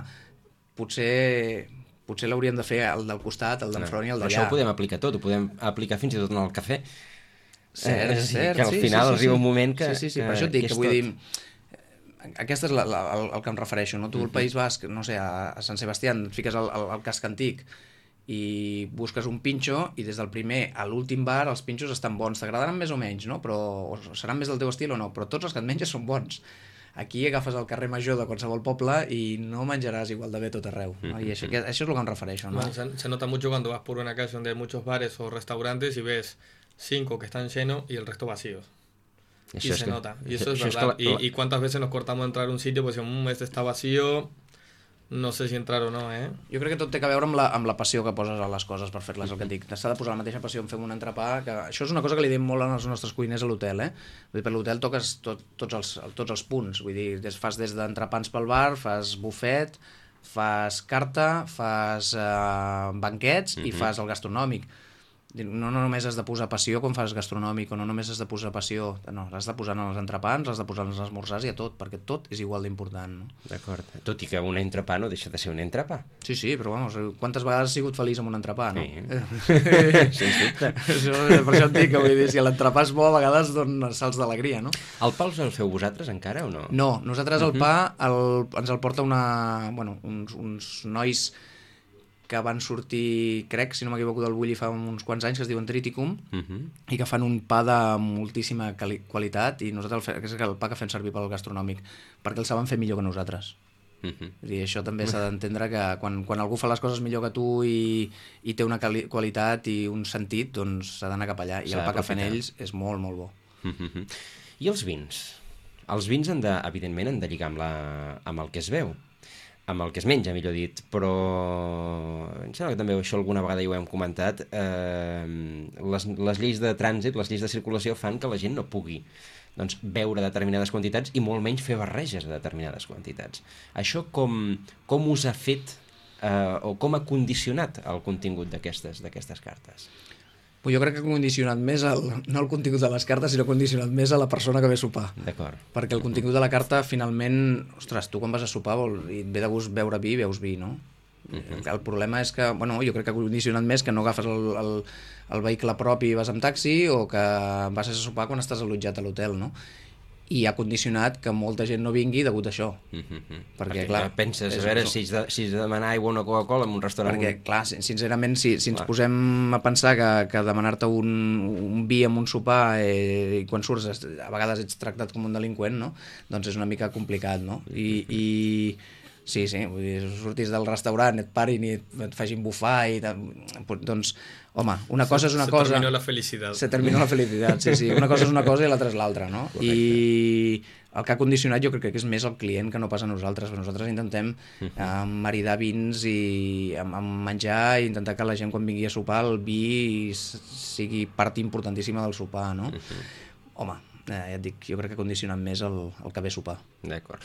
potser... potser l'hauríem de fer el del costat, el d'enfront i el d'allà. Això ho podem aplicar tot, ho podem aplicar fins i tot en el cafè. Cert, eh, cert, que al sí, final sí, sí, arriba sí. un moment que... Sí, sí, sí, que, per això et dic, que, que vull tot. dir... Aquesta és la, la, el, el que em refereixo, no? Tu al País Basc, no sé, a, a Sant Sebastià, et fiques al, al, al casc antic i busques un pinxo i des del primer a l'últim bar els pinxos estan bons. T'agradaran més o menys, no? Però o seran més del teu estil o no, però tots els que et menges són bons. Aquí agafes el carrer major de qualsevol poble y no menjaràs igual de bé tot arreu, ¿no? Y eso, que, eso es lo que me refereixo, ¿no? Bueno, se, se nota mucho cuando vas por una calle donde hay muchos bares o restaurantes y ves cinco que están llenos y el resto vacíos. Això y es se que, nota, y eso, eso es això verdad. És que la, y, y cuántas veces nos cortamos a entrar a un sitio, pues mmm, este está vacío, no sé si entrar o no, eh? Jo crec que tot té a veure amb la, amb la passió que poses a les coses per fer-les, el que et dic. S'ha de posar la mateixa passió en fer un entrepà, que això és una cosa que li diem molt als nostres cuiners a l'hotel, eh? Vull dir, per l'hotel toques tot, tots, els, tots els punts, vull dir, des, fas des d'entrepans pel bar, fas bufet, fas carta, fas eh, banquets mm-hmm. i fas el gastronòmic. No, no només has de posar passió quan fas gastronòmic, o no només has de posar passió, no, has de posar en els entrepans, has de posar en els esmorzars i a tot, perquè tot és igual d'important, no? D'acord, tot i que un entrepà no deixa de ser un entrepà. Sí, sí, però vamos, quantes vegades has sigut feliç amb un entrepà, no? Sí, sens dubte. Això, per això et dic que vull dir, si l'entrepà és bo, a vegades dona salts d'alegria, no? El pa us el feu vosaltres encara o no? No, nosaltres el pa el, ens el porta una, bueno, uns, uns nois que van sortir, crec, si no m'equivoco, del Bulli fa uns quants anys, que es diuen Triticum, uh-huh. i que fan un pa de moltíssima quali- qualitat, i nosaltres el, fe, és el pa que fem servir pel gastronòmic, perquè el saben fer millor que nosaltres. Uh-huh. I això també s'ha d'entendre que quan, quan algú fa les coses millor que tu i, i té una quali- qualitat i un sentit, doncs s'ha d'anar cap allà, i el pa que fan ells és molt, molt bo. Uh-huh. I els vins? Els vins, han de, evidentment, han de lligar amb, la, amb el que es veu, amb el que es menja, millor dit, però em sembla que també això alguna vegada ja ho hem comentat, eh, les, les lleis de trànsit, les lleis de circulació fan que la gent no pugui doncs, beure determinades quantitats i molt menys fer barreges de determinades quantitats. Això com, com us ha fet eh, o com ha condicionat el contingut d'aquestes d'aquestes cartes? Pues jo crec que ha condicionat més el, no el contingut de les cartes, sinó condicionat més a la persona que ve a sopar. D'acord. Perquè el contingut de la carta, finalment, ostres, tu quan vas a sopar vol, i et ve de gust beure vi, veus vi, no? Uh-huh. El problema és que, bueno, jo crec que ha condicionat més que no agafes el, el, el vehicle propi i vas amb taxi, o que vas a sopar quan estàs allotjat a l'hotel, no? I ha condicionat que molta gent no vingui degut a això. Uh-huh. Perquè, perquè, clar, penses, és, a veure, si has de, si has de demanar aigua o una Coca-Cola en un restaurant... Perquè, clar, sincerament, si, si ens clar. posem a pensar que, que demanar-te un, un vi amb un sopar eh, i quan surts a vegades ets tractat com un delinqüent, no? Doncs és una mica complicat, no? I... i sí, sí, vull dir, surtis del restaurant, et parin i et, et facin bufar i... Doncs, home, una cosa és una se cosa... Se terminó la felicitat. Se terminó la felicitat, sí, sí. Una cosa és una cosa i l'altra és l'altra, no? Correcte. I el que ha condicionat jo crec que és més el client que no pas a nosaltres, perquè nosaltres intentem eh, maridar vins i amb, amb menjar i intentar que la gent quan vingui a sopar el vi sigui part importantíssima del sopar, no? Home, eh, ja et dic, jo crec que ha condicionat més el, el que ve a sopar. D'acord.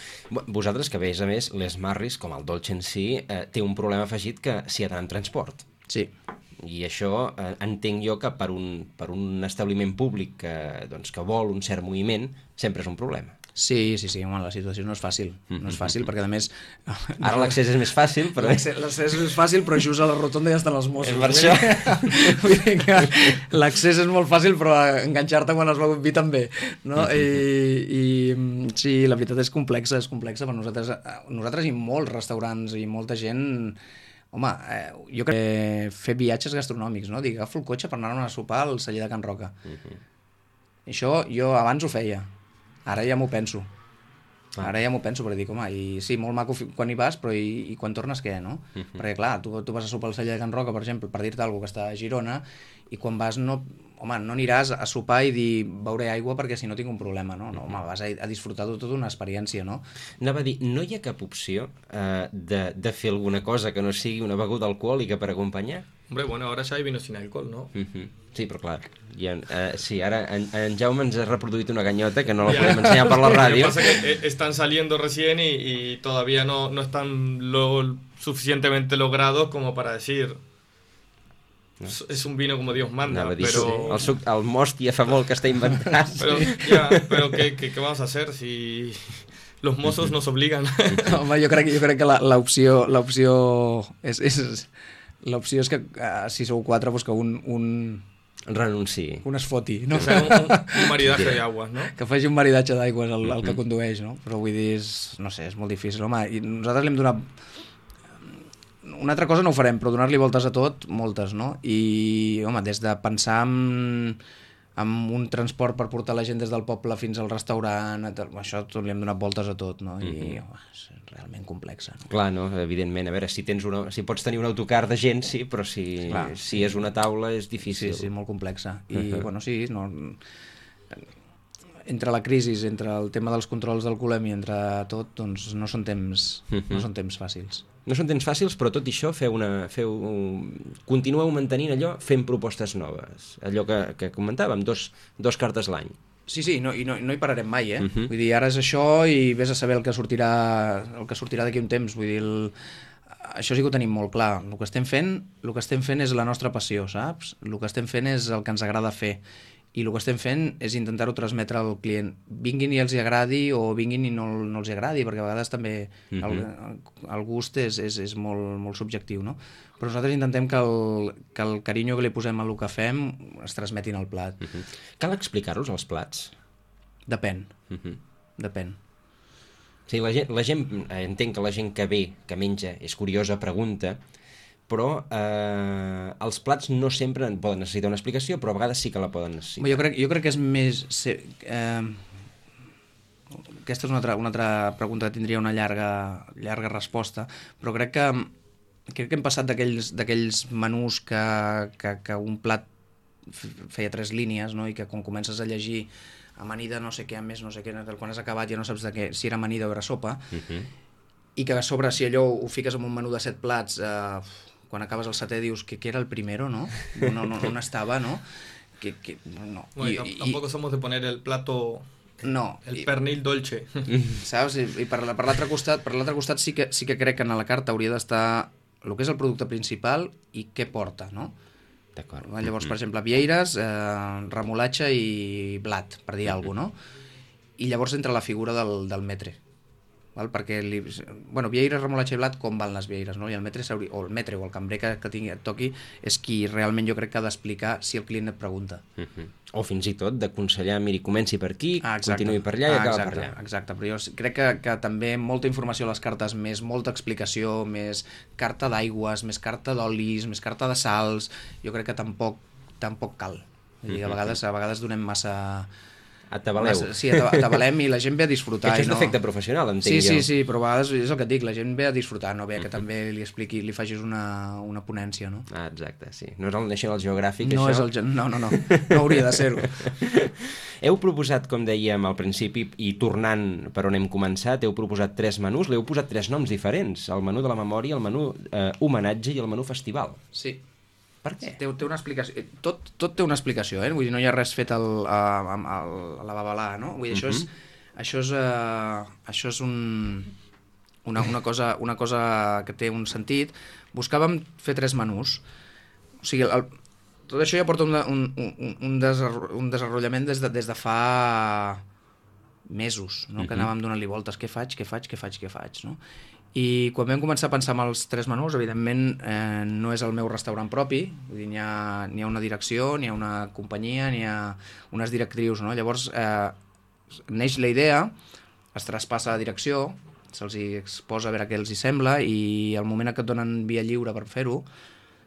Vosaltres que veus, a més, les Marris, com el dolce en si, eh, té un problema afegit que s'hi ha d'anar en transport. Sí. I això eh, entenc jo que per un, per un establiment públic que, doncs, que vol un cert moviment sempre és un problema. Sí, sí, sí, home, la situació no és fàcil, no és fàcil perquè a més... Ara l'accés és més fàcil, però... L'accés és més fàcil, però just a la rotonda ja estan els Mossos. És per això. Vull dir que l'accés és molt fàcil, però enganxar-te quan es veu un vi també, no? I, i sí, la veritat és complexa, és complexa per nosaltres, nosaltres i molts restaurants i molta gent Home, eh, jo crec que fer viatges gastronòmics, no? Dic, agafo el cotxe per anar a sopar al celler de Can Roca. Uh-huh. Això jo abans ho feia, ara ja m'ho penso. Ah. Ara ja m'ho penso, perquè dic, home, i sí, molt maco quan hi vas, però i, i quan tornes què, no? Uh-huh. Perquè clar, tu, tu vas a sopar al celler de Can Roca, per exemple, per dir-te alguna cosa que està a Girona, i quan vas no, home, no aniràs a sopar i dir beuré aigua perquè si no tinc un problema, no? No, home, vas a, a disfrutar de tota una experiència, no? Anava a dir, no hi ha cap opció eh, de, de fer alguna cosa que no sigui una beguda alcohòlica per acompanyar? Hombre, bueno, ahora ya hay vino sin alcohol, ¿no? Uh-huh. Sí, però clar, ha, eh, sí, ara en, en Jaume ens ha reproduït una ganyota que no la podem ensenyar per la ràdio. Lo que pasa es que están saliendo recién y, y todavía no, no están lo suficientemente logrados como para decir... No. Es un vino como Dios manda, dir, pero... El, suc, el mòstia fa molt que està inventat. Pero, ya, pero ¿qué, qué, ¿qué vamos a hacer si los mozos nos obligan? Home, jo crec, jo crec que l'opció l'opció és, és, l'opció és que uh, si sou quatre, pues que un... un... renunciï. Un es foti, no? O sea, un, un maridatge d'aigües, no? Que faci un maridatge d'aigües el, el que condueix, no? Però vull dir, és, no sé, és molt difícil. Home, i nosaltres li hem donat... Una altra cosa no ho farem, però donar-li voltes a tot, moltes, no? I, home, des de pensar en, en un transport per portar la gent des del poble fins al restaurant, això tot li hem donat voltes a tot, no? I, home, és realment complexa, no? Clar, no? Evidentment. A veure, si tens una, si pots tenir un autocar de gent, sí, però si, Clar, si sí. és una taula és difícil. Sí, sí, molt complexa. I, uh-huh. bueno, sí, no... entre la crisi, entre el tema dels controls d'alcoholèmia, entre tot, doncs no són temps, uh-huh. no són temps fàcils. No són temps fàcils, però tot i això feu una, feu, continueu mantenint allò fent propostes noves. Allò que, que comentàvem, dos, dos cartes l'any. Sí, sí, no, i no, no hi pararem mai, eh? Uh-huh. Vull dir, ara és això i vés a saber el que sortirà, el que sortirà d'aquí un temps. Vull dir, el... això sí que ho tenim molt clar. El que estem fent, el que estem fent és la nostra passió, saps? El que estem fent és el que ens agrada fer. I el que estem fent és intentar-ho transmetre al client. Vinguin i els hi agradi o vinguin i no, no els hi agradi, perquè a vegades també uh-huh. el, el gust és, és, és molt, molt subjectiu, no? Però nosaltres intentem que el, que el carinyo que li posem a el que fem es transmetin al plat. Uh-huh. Cal explicar-los els plats? Depèn. Uh-huh. Depèn. Sí, la gent, la gent, entenc que la gent que ve, que menja, és curiosa, pregunta, però eh, els plats no sempre poden necessitar una explicació, però a vegades sí que la poden necessitar. Jo crec, jo crec que és més... Eh, aquesta és una altra, una altra pregunta que tindria una llarga, llarga resposta, però crec que, crec que hem passat d'aquells menús que, que, que un plat feia tres línies, no? I que quan comences a llegir amanida no sé què, a més no sé què, quan has acabat ja no saps de què, si era amanida o era sopa, uh-huh. i que a sobre si allò ho fiques en un menú de set plats... Eh, quan acabes el setè dius que, que era el primero, ¿no? No, no, on estava, ¿no? Que, que, no. Bueno, y, tampoco y, somos de poner el plato... No. El i, pernil dolce. Saps? I, i per, per l'altre costat, per l'altre costat sí que, sí que crec que a la carta hauria d'estar el que és el producte principal i què porta, no? D'acord. Llavors, per exemple, vieires, eh, remolatge i blat, per dir alguna cosa, no? I llavors entra la figura del, del metre. Val? Perquè, li, bueno, vieires, remolatge i blat, com van les vieires, no? I el metre, o el metre o el cambrer que, que tingui, et toqui és qui realment jo crec que ha d'explicar si el client et pregunta. Uh-huh. O fins i tot d'aconsellar, miri, comenci per aquí, ah, continuï per allà i ah, acaba exacte, per allà. Exacte, però jo crec que, que també molta informació a les cartes, més molta explicació, més carta d'aigües, més carta d'olis, més carta de sals, jo crec que tampoc, tampoc cal. Vull dir, a vegades, a vegades donem massa... Atabaleu. Sí, atabalem i la gent ve a disfrutar. Que això és no... l'efecte professional, entenc sí, jo. Sí, sí, però a vegades és el que et dic, la gent ve a disfrutar, no ve que uh-huh. també li expliqui, li facis una, una ponència, no? Ah, exacte, sí. No és el National Geographic, no això? És el, no, no, no, no hauria de ser-ho. Heu proposat, com dèiem al principi, i tornant per on hem començat, heu proposat tres menús, l'heu posat tres noms diferents, el menú de la memòria, el menú eh, homenatge i el menú festival. Sí. Per què? Té, té una explicació. Tot, tot té una explicació, eh? Vull dir, no hi ha res fet al, a, a, a la babalà, no? Vull dir, uh-huh. això és, això és, uh, això és un, una, una, cosa, una cosa que té un sentit. Buscàvem fer tres menús. O sigui, el, tot això ja porta un, un, un, un, desarro, un desenvolupament des de, des de fa mesos, no? Uh-huh. Que anàvem donant-li voltes. Què faig, què faig, què faig, què faig, no? I quan vam començar a pensar en els tres menús, evidentment eh, no és el meu restaurant propi, vull dir, n'hi ha, n'hi ha una direcció, n'hi ha una companyia, n'hi ha unes directrius, no? Llavors eh, neix la idea, es traspassa a direcció se'ls hi exposa a veure què els hi sembla i al moment que et donen via lliure per fer-ho,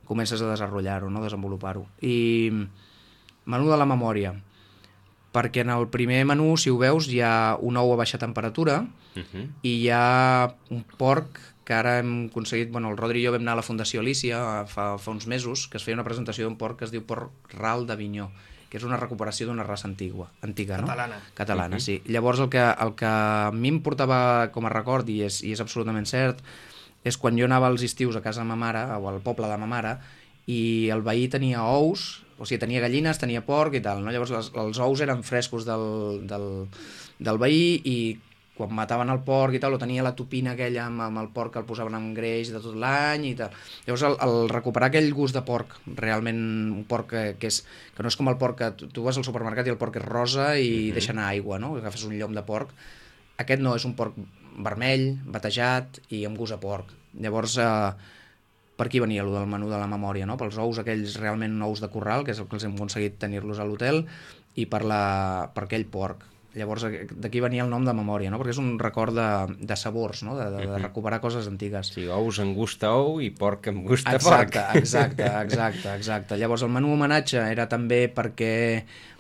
comences a desenvolupar-ho, no? desenvolupar-ho. I menú de la memòria, perquè en el primer menú, si ho veus, hi ha un ou a baixa temperatura uh-huh. i hi ha un porc que ara hem aconseguit, bueno, el Rodri i jo vam anar a la Fundació Alícia fa, fa uns mesos, que es feia una presentació d'un porc que es diu porc ral d'Avinyó, que és una recuperació d'una raça antigua, antiga, no? Catalana. Catalana, uh-huh. sí. Llavors el que, el que a mi em portava com a record, i és, i és absolutament cert, és quan jo anava als estius a casa de ma mare, o al poble de ma mare, i el veí tenia ous, o sigui, tenia gallines, tenia porc i tal, no? Llavors les, els ous eren frescos del, del, del veí i quan mataven el porc i tal, o tenia la tupina aquella amb, amb el porc que el posaven en greix de tot l'any i tal. Llavors el, el recuperar aquell gust de porc, realment un porc que, que, és, que no és com el porc que tu, tu vas al supermercat i el porc és rosa i mm-hmm. deixa anar aigua, no? Agafes un llom de porc. Aquest no, és un porc vermell, batejat i amb gust a porc. Llavors, eh, per aquí venia el del menú de la memòria, no? Pels ous aquells realment ous de corral, que és el que els hem aconseguit tenir-los a l'hotel, i per, la, per aquell porc. Llavors d'aquí venia el nom de memòria, no? Perquè és un record de, de sabors, no? de, de, de recuperar coses antigues. Sí, ous amb gust a ou i porc amb gust a exacte, porc. Exacte, exacte, exacte. Llavors el menú homenatge era també perquè...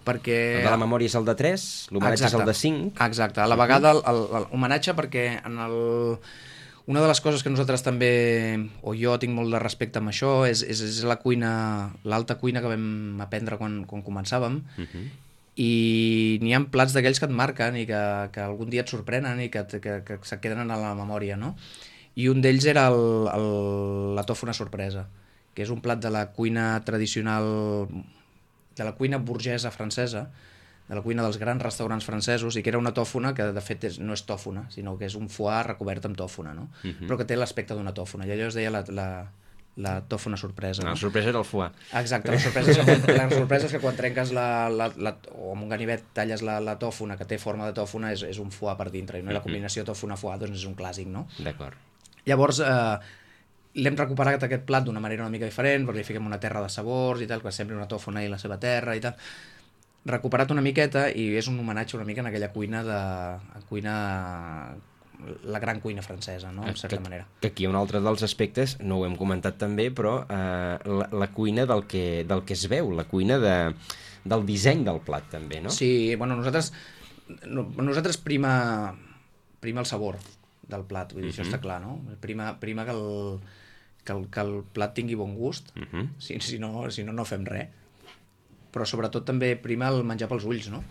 perquè... El de la memòria és el de tres, l'homenatge és el de cinc. Exacte, a la vegada l'homenatge perquè en el... Una de les coses que nosaltres també, o jo tinc molt de respecte amb això, és, és, és la cuina, l'alta cuina que vam aprendre quan, quan començàvem, uh-huh. i n'hi ha plats d'aquells que et marquen i que, que algun dia et sorprenen i que, que, que se queden a la memòria, no? I un d'ells era el, el, la tòfona sorpresa, que és un plat de la cuina tradicional, de la cuina burgesa francesa, de la cuina dels grans restaurants francesos, i que era una tòfona que de fet és, no és tòfona, sinó que és un foie recobert amb tòfona, no? Uh-huh. Però que té l'aspecte d'una tòfona, i allò es deia la, la, la tòfona sorpresa. No? No? La sorpresa era el foie. Exacte, la sorpresa és que, la sorpresa és que quan trenques la, la, la, o amb un ganivet talles la, la tòfona, que té forma de tòfona, és, és un foie per dintre, i no? Uh-huh. La combinació tòfona-foie doncs és un clàssic, no? D'acord. Llavors, eh, l'hem recuperat aquest plat d'una manera una mica diferent, perquè li fiquem una terra de sabors i tal, que sembli una tòfona i la seva terra i tal. Recuperat una miqueta i és un homenatge una mica en aquella cuina de cuina la gran cuina francesa, no? En certa que, manera. Que aquí un altre dels aspectes, no ho hem comentat també, però eh, la, la cuina del que, del que es veu, la cuina de, del disseny del plat també, no? Sí, bueno, nosaltres no, nosaltres prima prima el sabor del plat, vull dir, uh-huh. això està clar, no? Prima, prima que, el, que, el, que el plat tingui bon gust, uh-huh. si, si, no, si no, no fem res. Però sobretot també prima el menjar pels ulls, no?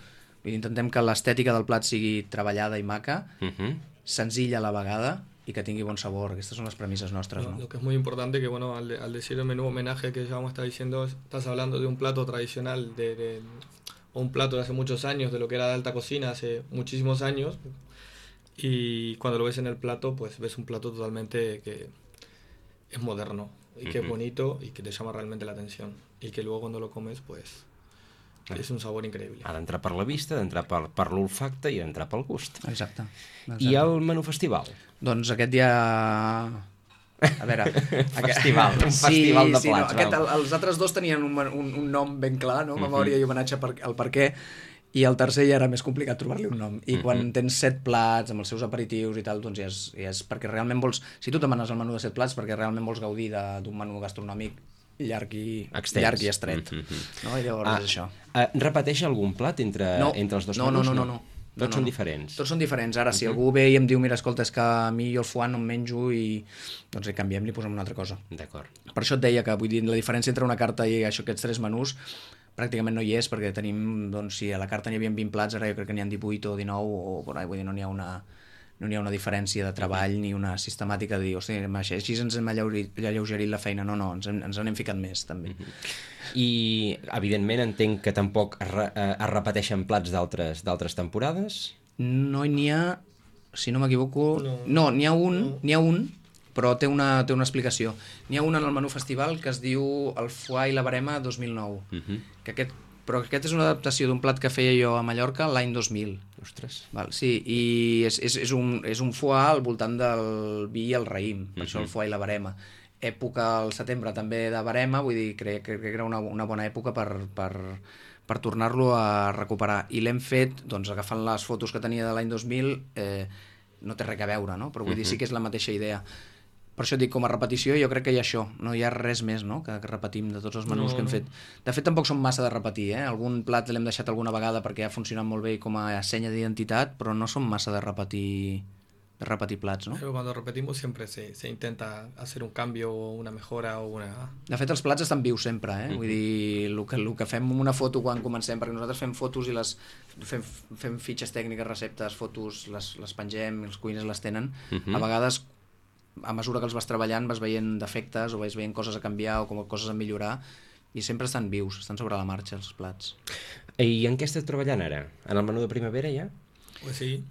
Vull dir, intentem que l'estètica del plat sigui treballada i maca, uh-huh. senzilla a la vegada y que tingui bon sabor. Estas son las premisas nuestras, ¿no? Lo que es muy importante que, bueno, al, al decir el menú homenaje que ya vamos a estar diciendo, estás hablando de un plato tradicional, de, de o un plato de hace muchos años, de lo que era de alta cocina hace muchísimos años, y cuando lo ves en el plato, pues ves un plato totalmente que es moderno, y que uh-huh. es bonito, y que te llama realmente la atención, y que luego cuando lo comes, pues... és un sabor increïble. Ha d'entrar per la vista, d'entrar per, per l'olfacte i d'entrar pel gust. Exacte. Exacte. I el menú festival? Doncs aquest dia... A veure... festival, un sí, festival de sí, plats. No, aquest, el, els altres dos tenien un, un, un nom ben clar, no? Memòria uh-huh. i homenatge per, al per què, i el tercer ja era més complicat trobar-li un nom. I uh-huh. quan tens set plats amb els seus aperitius i tal, doncs ja és, ja és perquè realment vols... Si tu demanes el menú de set plats, perquè realment vols gaudir d'un menú gastronòmic llarg i, llarg i estret. Mm-hmm. No? I llavors ah, és això. Uh, repeteix algun plat entre, no, entre els dos no, menús? No, no, no. no. Tots no, no, són no. diferents? Tots són diferents. Ara, si uh-huh. algú ve i em diu, mira, escolta, és que a mi jo el foie no em menjo i doncs li canviem, li posem una altra cosa. D'acord. Per això et deia que, vull dir, la diferència entre una carta i això, aquests tres menús pràcticament no hi és, perquè tenim, doncs, si a la carta n'hi havia vint plats, ara jo crec que n'hi ha divuit o dinou, o, o vull dir, no n'hi ha una... no n'hi ha una diferència de treball ni una sistemàtica de dir, hosti, així ens hem alleugerit la feina. No, no, ens, hem, ens n'hem ficat més, també. I, evidentment, entenc que tampoc es, re, es repeteixen plats d'altres temporades? No n'hi ha, si no m'equivoco... No, no n'hi ha un, no. n'hi ha un, però té una, té una explicació. N'hi ha un en el menú festival que es diu el foie i la barema dos mil nou, uh-huh. que aquest però aquest és una adaptació d'un plat que feia jo a Mallorca l'any dos mil. Ostres. Val, sí, i és, és, és, un, és un foie al voltant del vi i el raïm, per uh-huh. això el foie i la barema. Època al setembre també de barema, vull dir, crec, crec que era una, una bona època per, per, per tornar-lo a recuperar. I l'hem fet, doncs, agafant les fotos que tenia de l'any dos mil, eh, no té res a veure, no? Però vull uh-huh. dir, sí que és la mateixa idea. Per això dic, com a repetició, jo crec que hi ha això, no hi ha res més, no?, que, que repetim de tots els menús no, que hem fet. De fet, tampoc són massa de repetir, eh? Algun plat l'hem deixat alguna vegada perquè ha funcionat molt bé com a senya d'identitat, però no són massa de repetir, de repetir plats, no? Pero cuando repetimos siempre se, se intenta hacer un cambio o una mejora o una... De fet, els plats estan vius sempre, eh? Mm-hmm. Vull dir, el que, el que fem amb una foto quan comencem, perquè nosaltres fem fotos i les fem, fem fitxes tècniques, receptes, fotos, les, les pengem, els cuiners les tenen, mm-hmm. a vegades a mesura que els vas treballant vas veient defectes o vas veient coses a canviar o com coses a millorar i sempre estan vius, estan sobre la marxa els plats. I en què estàs treballant ara? En el menú de primavera ja? Pues sí.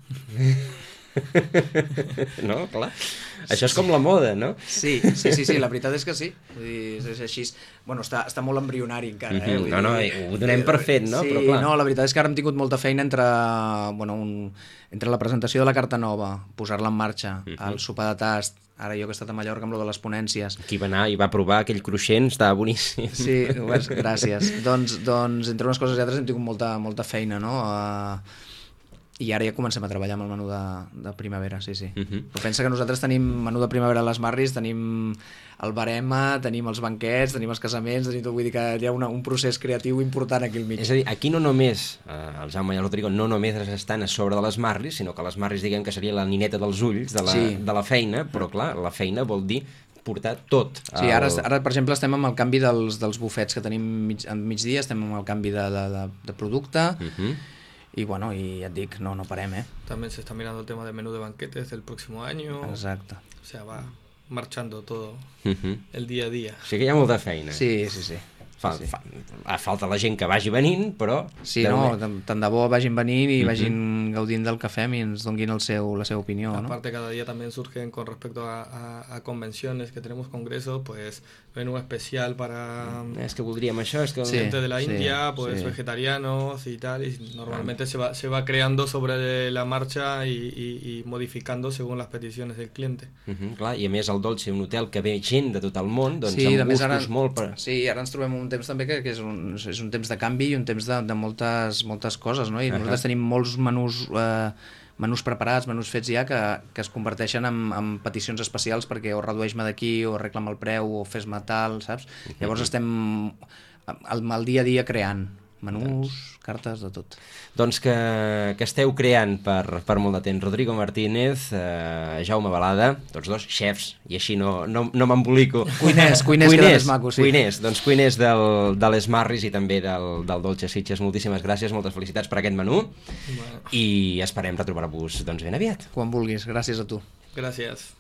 No, clar. Això és com la moda, no? Sí, sí, sí, sí, la veritat és que sí. Vull dir, és així. Bueno, està, està molt embrionari encara, eh? Vull no, no, dir, ho donem per fet, no? Sí, però clar. No, la veritat és que ara hem tingut molta feina entre, bueno, un, entre la presentació de la carta nova, posar-la en marxa, uh-huh. el sopar de tast, ara jo que he estat a Mallorca amb lo de les ponències. Qui va anar i va provar aquell cruixent, estava boníssim. Sí, gràcies. doncs, doncs, entre unes coses i altres hem tingut molta, molta feina, no? Uh, I ara ja comencem a treballar amb el menú de, de primavera, sí, sí. Uh-huh. Però pensa que nosaltres tenim menú de primavera a les Marris, tenim el barema, tenim els banquets, tenim els casaments, tenim tot, vull dir que hi ha una, un procés creatiu important aquí al mig. És a dir, aquí no només, eh, el Jaume i el Rodrigo, no només estan a sobre de les Marris, sinó que les Marris diguem que seria la nineta dels ulls de la, sí. de la feina, però clar, la feina vol dir portar tot. Sí, ara, ara per exemple estem amb el canvi dels, dels bufets que tenim mig, a migdia, estem amb el canvi de, de, de, de producte, uh-huh. y bueno, y ya te digo, no, no parem, eh. También se está mirando el tema del menú de banquetes del próximo año. Exacto. O sea, va marchando todo uh-huh. el día a día. O sigui que hi ha molta feina. Sí, sí, sí. Fa, sí. fa, falta la gent que vagi venint, però... Sí, no, tant de bo vagin venint i uh-huh. vagin gaudint del que fem i ens donguin el seu, la seva opinión, ¿no? Aparte, cada día también surgen con respecto a, a, a convenciones que tenemos congresos, pues menú especial para... Es que voldríem això, és que... Sí, gente de la sí, India, pues sí. vegetarianos y tal, y normalmente ah. se, va, se va creando sobre la marcha y, y, y modificando según las peticiones del cliente. Uh-huh, clar, i a més el Dolce, un hotel que ve gent de tot el món, doncs sí, amb gustos ara, molt... Per... Sí, ara ens trobem un temps també que, que és, un, és un temps de canvi i un temps de, de moltes, moltes coses, no? I uh-huh. nosaltres tenim molts menús, eh, menús preparats, menús fets ja, que, que es converteixen en, en peticions especials perquè o redueix-me d'aquí, o arregla-me el preu, o fes-me tal, saps? Uh-huh. Llavors estem al, al dia a dia creant menús, cartes, de tot. Doncs que, que esteu creant per, per molt de temps. Rodrigo Martínez, eh, Jaume Balada, tots dos xefs, i així no, no, no m'embolico. Cuiners, cuiners, cuiners, que és maco, sí. Cuiners, doncs cuiners del, de les Marris i també del, del Dolce Sitges. Moltíssimes gràcies, moltes felicitats per aquest menú, bueno. I esperem retrobar-vos doncs, ben aviat. Quan vulguis, gràcies a tu. Gràcies.